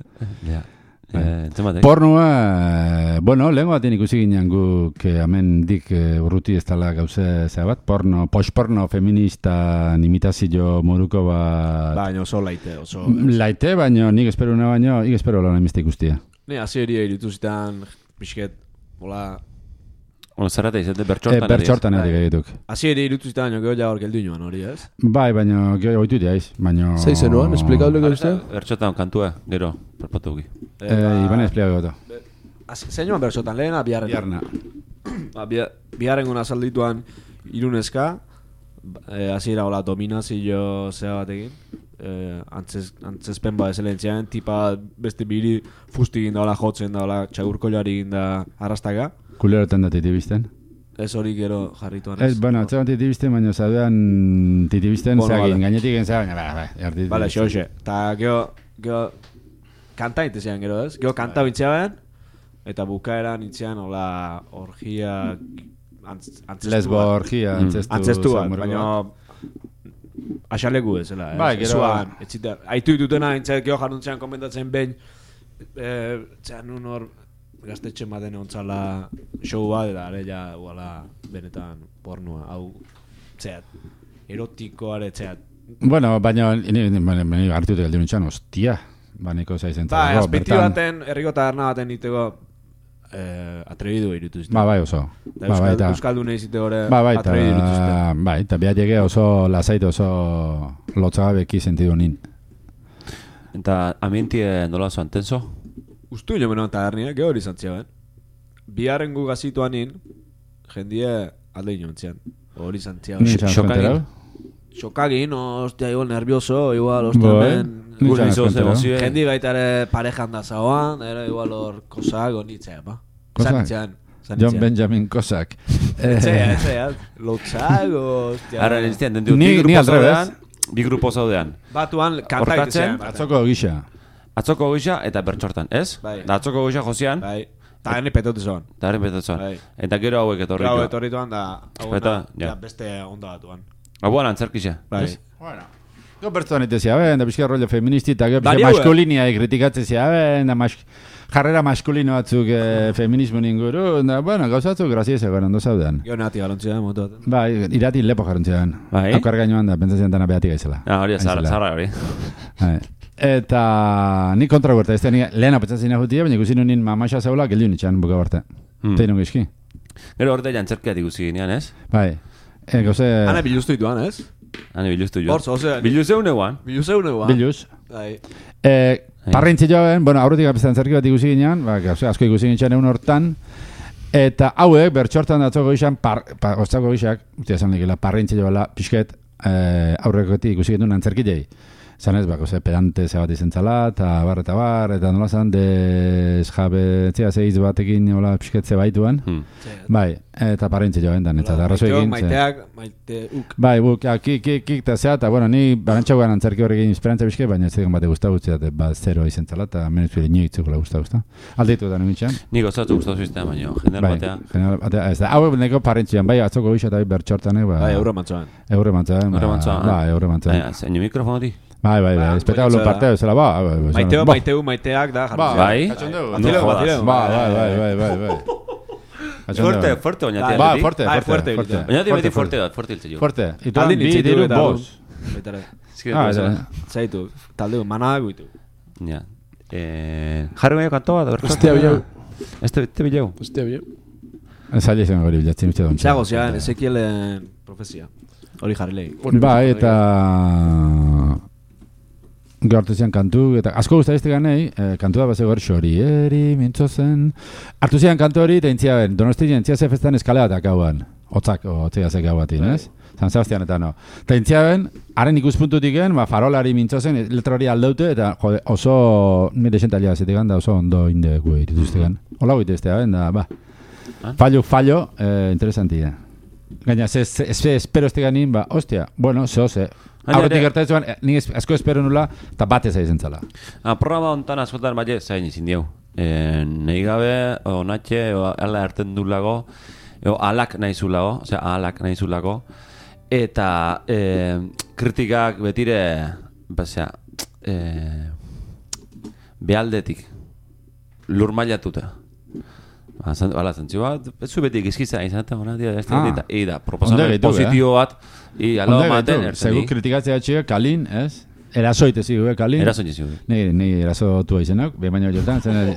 Pornoa, bueno, lehenko batean ikusi ginen guk hemen dik urruti ez tala gauze zea bat, porno, post-porno feminista imitazio moruko bat... Baina oso laite, oso... Laite, baina nik espero lan emizte ikustia. Ne, hasi eria irituzitan, pixket, hola... Zerrata izate, bertxortan bertxortan egituk. Hasi eri irituzitan, geho ja hor geldu inoan hori, ez? Bai, baina geho oitu diaiz, baina... Zeizen noan, esplikable goztea? Bertxortan kantua, gero, perpatu guki. Iban espliago gota. Zein joan bertxortan, lehena biharren? Biharren gona saldituan irunezka, hasi era hola dominazio zea batekin, antzespen ba ezelentzian, tipa beste biri fusti ginda hola jotzen da, hola txagurkoilari ginda arrastaka. Kulerotan da titi bizten? Ez hori gero jarrituan ez. Bueno, atzean titibisten, baina zaduan titibisten zagin, gainetik entzak, baina, Bale, xoxe. Ta gero kanta intezean gero ez? Gero kanta bintzean, eta bukaeran intzean, hola, orgia, antzestu. Lesbo orgia, antzestu bat, baina asalegu ez, zela. Bai, gero. Aitu ditutena, intzak gero jarruntzean komentatzen behin, txean un hor, gaztetxe maten ontzala show bat, eta ja, benetan pornua, hau, txeat, erotikoare, txeat. Bueno, baina, ni hartutek aldi nintxan, ostia, baneko zaizen zara. Ba, azpiti baten, erriko taberna baten niteko, atrebidu irutu zuten. Bai, oso. Euskaldune izite gore atrebidu irutu zuten. Bai, eta biateke oso lasait, oso lotzagabeki sentidu nin. Eta ambientie nola zoan, tenso? Ustu jo menoan tabernia, geho hori zantzia ben. Biharren gu gazituan nin, jendie alde inontzian. Hori zantzia ben. Xokagin? Xokagin, ostia, igual nervioso, igual, ostia, ben. Gure izoz emozioen. Jendi baita ere parejan da zauan, ere igual hor kosak, onitzea, ba. Kosak? John Benjamin Kosak. Etzea, lotzak, ostia. Arra, niztian, bi grupo zaudean. Batuan, kanta itezean. Atzoko gisa. Atzoko gisa eta bertxortan, ez? Bai. Da atzoko gisa jozian. Bai. Ta hene petotu zoan. Bai. Eta gero hauek etorritu. Gero etorrituan da, hauena, beste onda batuan. Hauan antzerkisa. Bai. Bueno. Gero bertuan itezia, da pixka rollo feministi eta gero pixka maskulinia kritikatzezia, da jarrera maskulino batzuk feminismo inguru, da, bueno, gauzatzuk graziese garen ondo zaudean. Gero nati garantzia motu bat. Bai, irati lepo jarantzian. Bai. Aukar gainuan da, pentsatzen dana behatik gaizela. Hori, zarra hori. Eta ni kontra guerta, ez da lehena pentsatzen nahutia, baina ikusi nuen mamaxa zeula, geldiun itxan buka barte. Tein gizki. Gero orte jantzerkeat ikusi ginean, ez? Bai. Gauze... Hane biluztu dituan, ez? Hane biluztu joan. Hortz, ose... Biluzeu neuan. Biluz. Bai. Parrintzi joan, bueno, aurretik apesan zerki bat ikusi ginean, asko ikusi ginean egun hortan, eta hauek, bertxortan datzoko gizan, oztako gizak, uste esan legela, parrintzi joala, pixket, aurrekotik ikusi genuen antzerkilei. Zan ez, pedante zebat izen zala, eta nola zan, jabe, zeiz batekin nola pixketze baituan. Bai, eta parrintzi joan dan, eta arrazo egin. Maiteuk. Bai, buk, kik, eta zea, eta bueno, ni barantxauan antzerki horrekin esperantza pixke, baina ez egon bate guztau guzti, eta zero izen zala, eta menez bire nioitzukula guztau. Aldeitu da nintxan. Nik gozatu guztau zuztea, baina, general batea. Ez da, hau neko parrintzian, bai, atzoko gisa eta bai bertxortanek, bai, euro mantzoan. Bai, espektakulu partea bezala, Maiteak da, jarri. Bai? Batileu. Bai. Fuerte, baina tia. Ba, fuerte. Baina tia beti fuerte hiltze jo. Fuerte. Ituan bi diru bos. Zaitu, taldeu, manadak guitu. Ja. Jarri baino kantoa da, Ostia bilau. Este bilau. Zaila izan gori bilatzen uste dontxe. Zago zian, Ezekielen profezia. Hori jarri lehi. Bai, eta... Gaurtu zian kantu, eta asko guztaizte ganei, kantu da bazego xorieri, mintzozen... Artu zian kantu hori, eta intzia ben, Donostia intzia ze festan eskaleatak hauan. Otzak, otzia zek hau batin, ez? San Sebastian eta no. Eta intzia ben, haren ikuspuntutik gen, farolari mintzozen, letra hori aldeute, eta jode, oso... Nire xentalia zetik da oso ondo inde gue irituzte gan. Ola goiteztea, da, ba. Fallo, interesantia. Gaina, espero este ganin, ba, ostia, bueno, ze. Aurretik gertatzen, ni asko espero nula, eta batez aizen zala. Programa ontan askotan baina zain izin diau. Nahi gabe, onatxe, ala erten du lago, alak nahi zulago, osea, alak nahi zulago, eta kritikak betire, basea, behaldetik, lur mailatuta. Hala, zentzu bat, ez zu beti gizkiza izan eta proposamen positio bat, alo maten ertzen. Zegu kritikatzea txea, kalin, ez? Erasoite zigu, kalin? Erasoite zigu. Ni erasotua izenak, behin baino jotan, zen...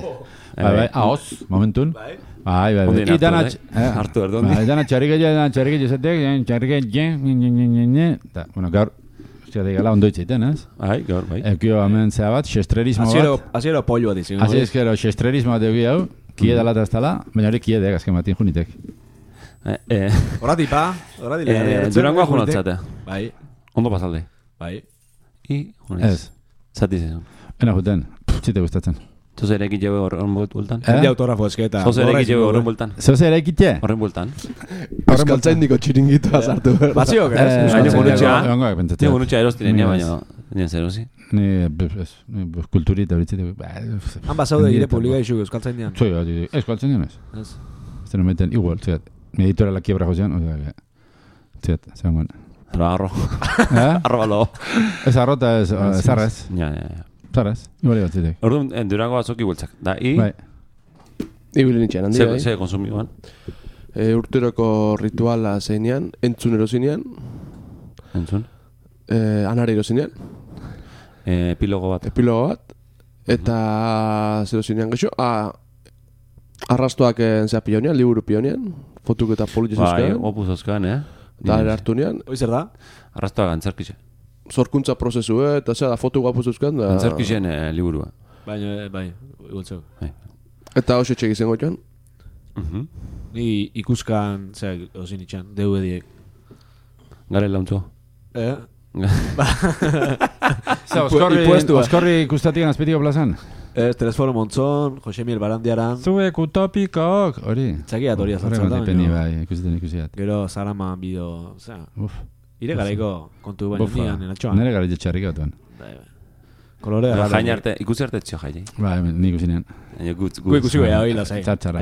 Ahoz, momentun. Bai. Hartu erdondi. Idana txarriketxe zetek, eta, bueno, gaur, ostia digala ondo itzaiten, ez? Bai, gaur, bai. Ekio hemen zea bat, xestrerismo bat. Aziero pollo bat izan. Aziero xestrerismo bat egi hau, kie dala eta ez dala, baina hori kie dek, azken batin junitek. Horati pa, horati legarria. Durangoa junatzate. Bai. Ondo pasalde. Bai. I, junez. Ez. Zati zizun. Ena juten, txite gustatzen. Zoze ere egite horren bultan? Jende autografo esketa. Zoze ere egite horren bultan? Zoze ere egite? Horren bultan? Euskaltzaindiko txiringitoa sartu. Batziok, Nio gunutxea erostiren, baina nien zerosi. Ni kulturita horitzete. Han basaude gire publika isu Euskaltzaindian. Euskaltzaindian ez. Ez no meten igual, ziat. Mi editora la quiebra josean, o sea, ziat, zegoen. Arro. Arro balo. Ez arrota ez arrez. Ja. Zarez, igual batzitek. Orduan, Durango azoki bultzak. Da, Bai. Ibili nitxean, handi bai. Ze konsumioan? Urteroko rituala zeinean, entzun erozinean. Entzun? Anari erozinean. Epilogo bat. Eta zero zinean gexo. Arrastoak zea pionean, liburu pionean. Fotuk eta politxe zuzkan. Bai, opuz zuzkan, Da, hartu nean. Hoi zer da? Arrastoak antzerkixe. Zorkuntza prozesu, eta zera, fotu guapu zuzkan. Antzerkixen liburua. Bai, igultzeu. Eta hoxe txek izango joan. Ni ikuskan, zera, ozin itxan, DVD-ek. Gare launtzo. Oskorri ikustatikan azpetiko plazan? Telesforo Montzon, Jose Miel Barandiaran. Zuek utopikok, hori. Txakiat hori azaltzen da. Horre bai, ikusiat. Gero Zaraman bideo, zera. Ire garaiko kontu baino nian enatxoan. Nere gara jetxarrik atuan. Kolorea. Jain arte, ikusi arte txio jai. Bai, ni ikusinean. Gu ikusi goia hori lasai. Txartxara.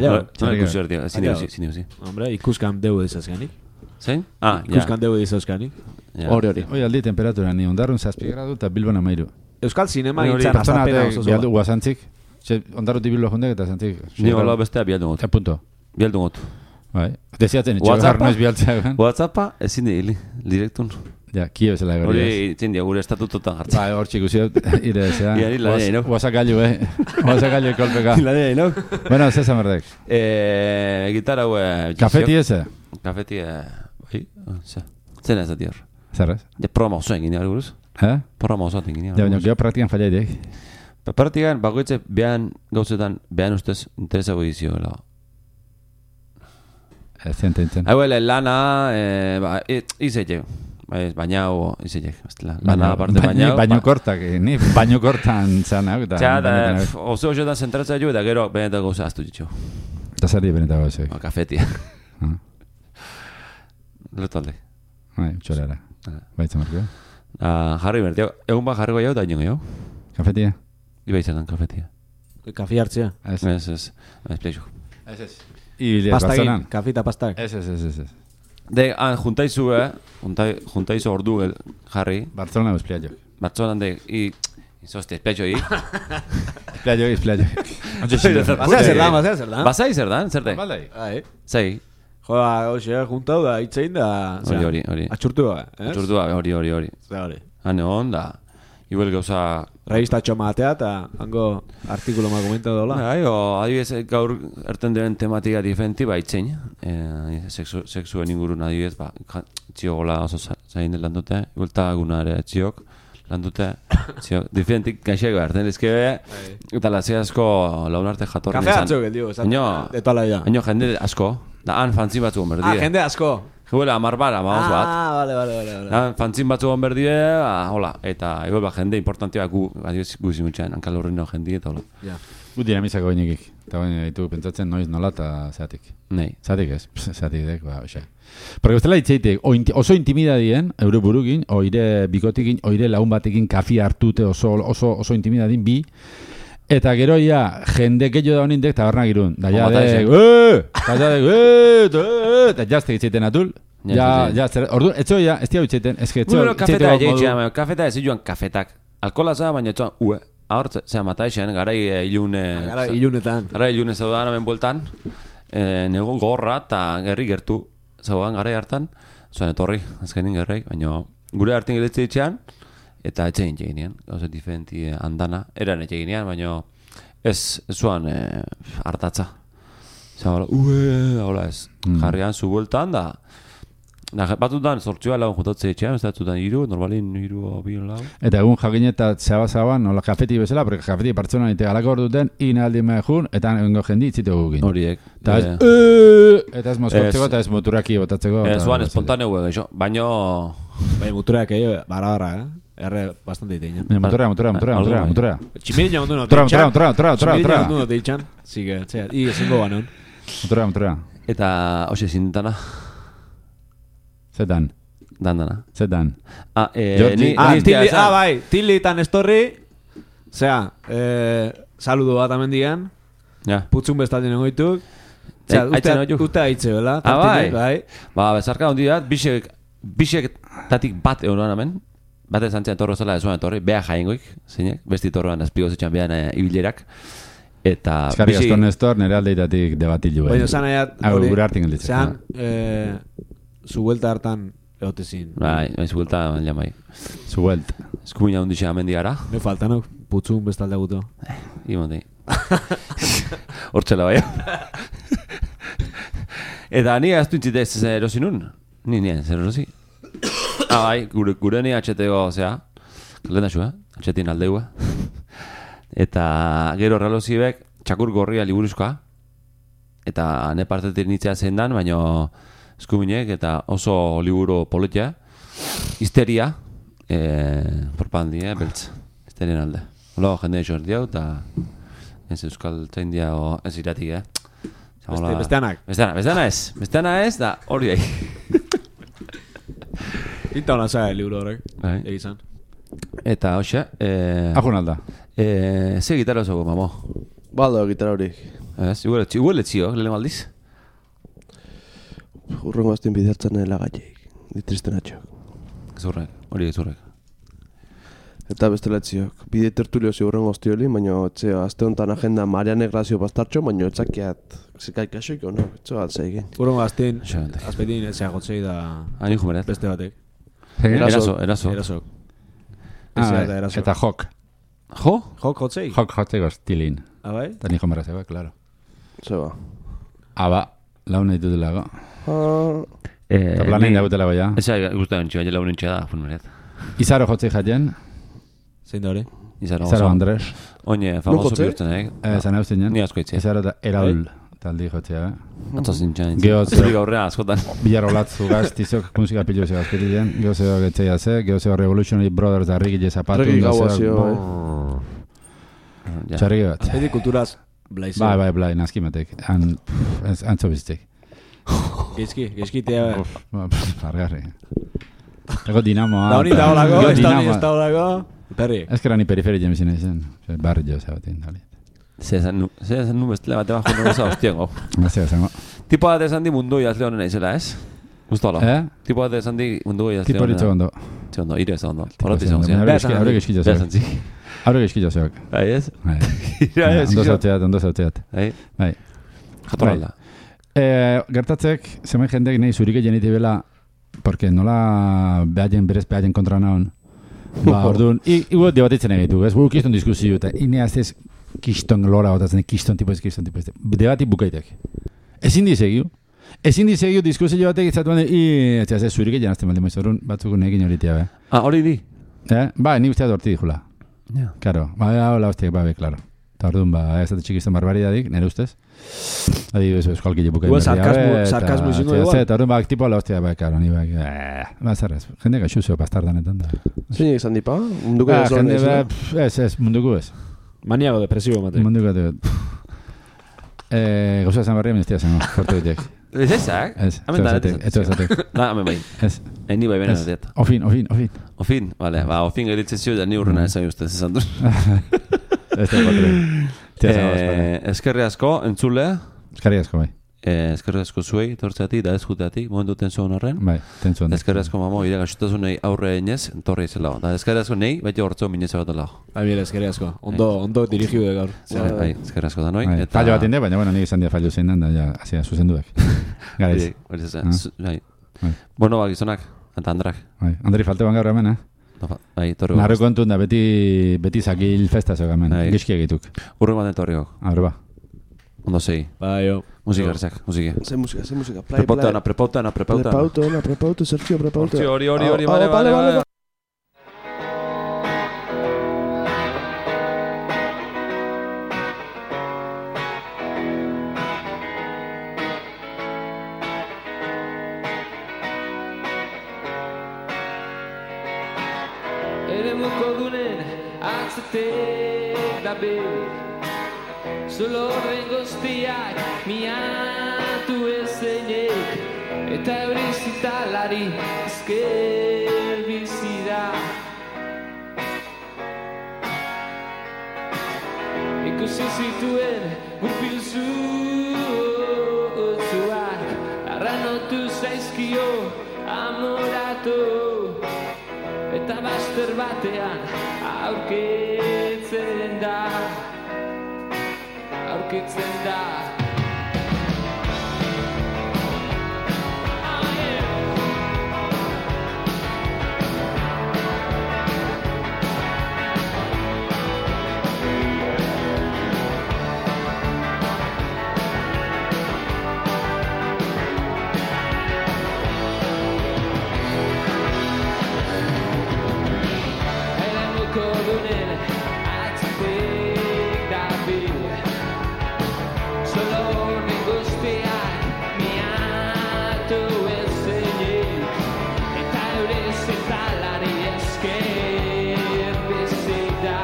Ikusi arte, zine. Hombre, ikuskan deu dizazganik. Zein? Ikuskan deu dizazganik. Hori. Hoi aldi temperatura, ni ondarrun 7 gradu eta Bilbon 13. Euskal Zinema itzan azapena oso zoa. Bialdu guazantzik. Ondarruti Bilbo jundek eta zantzik. Ni hola bestea bialdu gotu. Punto. Bialdu gotu. Bai. Desiatzen itxegar noiz bialtzea. Whatsappa ezin dihili, direktun. Ja, kio bezala gari. Hori itzen dia gure estatutotan jartzen. Bai, hor txik usiot, ire desea. Iari lanei, no? Guazakailu, Guazakailu kolpeka. Lanei, no? Bueno, zesa merdek. Gitarra hue... Kafeti eze? Kafeti, bai, zena ez ati hor. Zerrez? Ja, programa osoen gine hori buruz. Programa osoen gine hori. Ja, baina, geho praktikan fallaitek. Praktikan, bakoitze, behan gauzetan, behan ustez, interesago edizio, gela. Enten. Hauele, lana, izeitek. Baina, izeitek. Lana, aparte baina. Baino kortak, ni baino kortan zana. Oso hoxetan zentratzea jo, eta gero, benetak gauza aztu ditxo. Eta zer di benetak gauza. Kafetia. Lotalde. Bai, txorara. Baitza marko. Jarri bertio. Egun ba jarriko jau, da ino jau. Kafetia? Iba izan kafetia. Kafi hartzea? Ez. Espleixo. Ez. Pastakin, kafi eta pastak. Ez. De, juntaizu ordu jarri. Barcelona espleixo. Barcelona de, izozte, espleixo hi. Espleixo. Basea zer dan. Basai zer dan, zerte? Baldai. Zai. Joa, hoxe, juntau da, itzein da... Hori. Atxurtua, ez? Atxurtua, hori. Hane hon, da... Igual gauza... Revista txomatea eta hango artikulo ma komentatu dola. Adibidez, gaur erten duen tematika diferenti, itzein. Sexuen ingurun adibidez, txiogola oso zain lan dute. Igualta gunare txiok lan dute. Diferentik gaixeko erten ezkebe. Eta lazia asko laun arte jatorren izan. Kafe hartzuk, eldio. Etoala ya. Haino jende asko. Da han fantzin batzu gomberdie. Jende asko. Juela, amarbara, maoz bat. Vale. Fantzin batzu gomberdie, hola. Eta igual jende importantia gu zimutxean, hankal horrein jende eta hola. Gu dinamizako bainekik. Eta baina ditu pentsatzen noiz nola eta zeatik. Nei. Zeatik ez, zeatik dek, oxe. Porque bestela hitzeitek, oso intimidadien, eure burukin, oire bikotikin, oire lagun batekin kafi hartute oso intimidadien bi. Eta gero ja, jende gehiago da honindek, eta barnak irun. Da ja eta jazte gitzeiten atul. Ordu, etxo ja, ez tia gitzeiten. Kafeta egitxean, kafeta ez joan kafetak. Alkola za, baina etxoan, ahor, zera mataixen, garai ilunetan. Garai ilune zaudan hemen bueltan. Nego gorra eta gerri gertu zaudan garai hartan. Zoan etorri, azkenin gerri, baina gure hartin giletze ditxean. Eta etxegin txeginean, gauza diferenti andana. Eran etxeginean, baina ez zuan hartatza. Zagala, hola ez. Jarrian zu bueltan da. Batutan sortzioa lagun jutatze etxean, ez datutan normalin 3 o 2 lau. Eta egun jakinetat zaba-zaban, nola kafeti bezala, porque kafeti partzona nite galako hor duten, inaldi mehun, eta engo jendi itzite gukin. Horiek. Eta ez mozkortzeko, eta ez muturaki botatzeko. Zuan espontaneu egeixo, baina... Bai, muturak egin, barra, Erre bastante iteina. Motorea. Tximirin jagon du no Motorea. Tximirin jagon du no teitxan. Sigue, txea, i ezingo banon. Motorea. Eta, hoxe zintana. Zetan. Dandana. Zetan. Bai, Tillitan estorri. Zea, saludo bat amendian. Ja. Putzun bestaldien egoituk. Uta haitze, bela? Bai. Ba, bezarka hondi bat, bisek tatik bat euroan hemen. Bat ezantzia torro zela ezuan etorri, beha jaingoik, zeinek, besti torroan azpigo zetxan behan ibilerak. Eta... Eskarri asko Nestor, nire aldeitatik debatilu. Baina zan aiat... Gure hartin gelditzen. Zean, zu vuelta hartan egotezin. Bai, zu vuelta bai. Zu vuelta. Eskumina hundixe amendiara. Me falta, no? Putzun bestalde guto. Imondi. Hortxela bai. Eta ni aztu intzite ez erosinun. Ni zer erosi. Bai, gure ni atxetego, zea, lehen da atxetin aldeua. Eta gero relozibek, txakur gorria liburuzkoa. Eta ne partetik nitzea zein dan, baina eskuminek eta oso liburu politia. Histeria, porpandi, beltz, histerien alde. Holo, jende jordi hau, eta ez euskal tzaindia ez iratik, Besteanak. Besteana ez, da hori daik. Pinta hona zaga liburu horrek, egizan. Eta, hoxe... Ajun alda. Ze gitarra oso, mamo? Baldo, gitarra horik. Igual etzio, lehen aldiz? Urrengo azten bidertzen lagatik. Ditristen atxok. Gezurrek. Eta beste letziok. Bide tertulio zi urrengo aztioli, baina azte honetan agenda Mariane Grazio bastartxo, baina etzakiat zekaikasoiko, no? Etzo altzaigen. Urrengo azten, azpetin etzea gotzei da... Ani jumeret. Beste batek. Eraso. Eta jok. Jo? Jok gotzei? Jok gotzei goztilin. Abai? Eta ni jomera zeba, klaro. Zeba. Aba, laun nahi dutelago. Eta planein dagutelago ja. Eza guztaren txua, laun nintxea da, funmeret. Izaro jotzei jaten. Zein da hori? Izaro Andres. Oine, famoso bihurtzen, Zan hauzten jen. Ni asko itzi. Izaro eta Eraul taldi jotzea. Atzo zintxan. Zuri gaurrean askotan. Bilar olatzu gaztizok musika piluzio gazpetilen. Geozeo getzea ze. Geozeo Revolutionary Brothers da Rigile Zapatu. Regi gauazio. Txarrigi bat. Azpeti kulturaz blaizu. Bai, nazkimatek. Antzo biztek. Gezki tea. Pargarri. Ego dinamoa. Da honi da holako, ez da holako. Perri. Ez que era ni periferi jemizina izan. Barri jo zabatin. Zezan nu bestela bate bajo no goza hostiengo. Tipo bat esan di mundu jazle honen aizela, ez? Gusto ala. Tipo bat esan di mundu jazle honen. Tipo litzo ondo. Txondo, ire ez ondo. Horreti zon zian. Aure gizkila zoak. Aure gizkila zoak. Bai ez? Ondo zautzeat. Bai. Jator alda. Gertatzek, zemen jendek nahi zurike jeniti bela, porque nola berez behaien kontra naon. Ba, orduan, igual debatitzen egitu, ez? Guk kiston diskusio, eta ineaz ez kiston lora otatzen, kiston tipo ez. Debati bukaitek. Ezin dizegiu diskusio batek izatuan, ez zurike jenazten baldin maiz, orduan batzuk nekin horitea, be. Hori di? Ba, ni usteat horti dijula. Karo, hola hostiak, klaro. Eta orduan, ez dut txikizten barbaridadik, nire ustez. Adibidez, eskualkile bukain berria. Sarkasmo izingo igual. Eta orduan, tipo ala hostia, karo, ni zerrez. Jende gaxuzio pastardanetan da. Zein izan dipa? Munduko ez zoren ez? Ez, munduko ez. Maniago depresibo mate. Munduko ez. Gauza esan barria, ministia zen, kortu ditek. Ez ezak? Ez, ez ezatek. Da, hemen bai. Ez. Ni bai benen ateat. Ofin, vale, ba, ofin geritzezio da ni urrena esan ustez, esan du. Eskerri asko, entzule. Eskerri asko, bai. Eskerri asko zuei, tortzeatik, da ez juteatik, momentu tenzuen horren. Bai, tenzuen. Eskerri asko mamo, ire gaxutasunei aurre inez, torre izela. Da, eskerri asko nei, beti hortzo mineza bat alago. Eskerri asko. Ondo dirigiu de gaur. Bai, eskerri asko da noi. Fallo bat inde, baina, nik izan dia fallo zein da, ja, azia, zuzenduak. Garaiz. Bueno, gizonak, eta Andrak. Andri falteban gaur hemen, Bai, torri. Narro kontun da, beti zakil festa zog hemen, gizki egituk. Urren baten torri gok. Abre ba. Ondo sei. Bai, jo. Musika, erzak, musika. Ze musika. Prepautana. Prepauto, Sergio, prepauto. Hori, vale. Eremuko dunen atzetek dabil Solo horren guztiak miatu ezenek Eta euri zitalari ezker bizi da Ikusi zituen gurpil zutzuak Arranotu zaizkio amoratu Eta bazter batean aurkitzen da Kodunen atzetik dabil Solo horren guztiak miatu ezenik Eta eure zetalari esker bizi da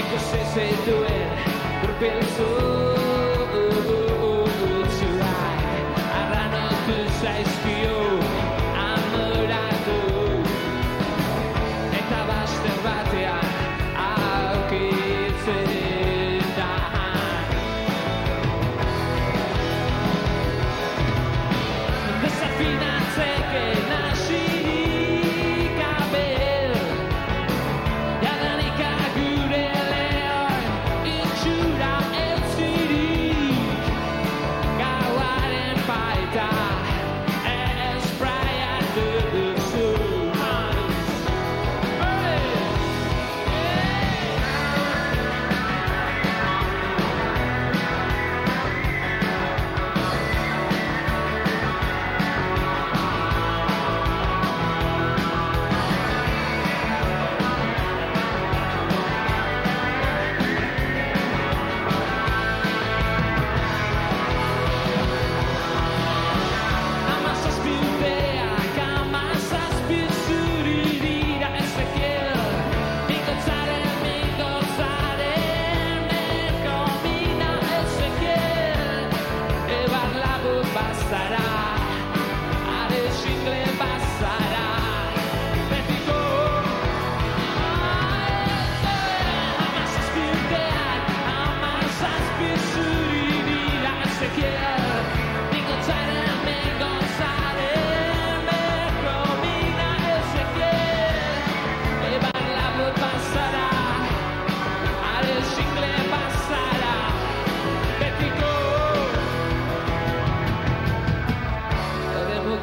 Ikusi zituen gurpil zutzuak Arranotu zaizkio amoratu Eta bazter batean aurkitzen da Desafinatzeke nasirik abel Jadanika gure lehor itxura eltzirik Gauaren baita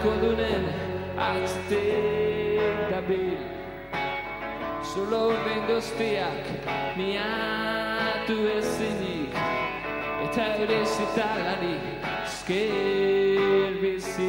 Kodunen atzetik dabil Solo horren guztiak miatu ezenik Eta eure zitalari ezker bizi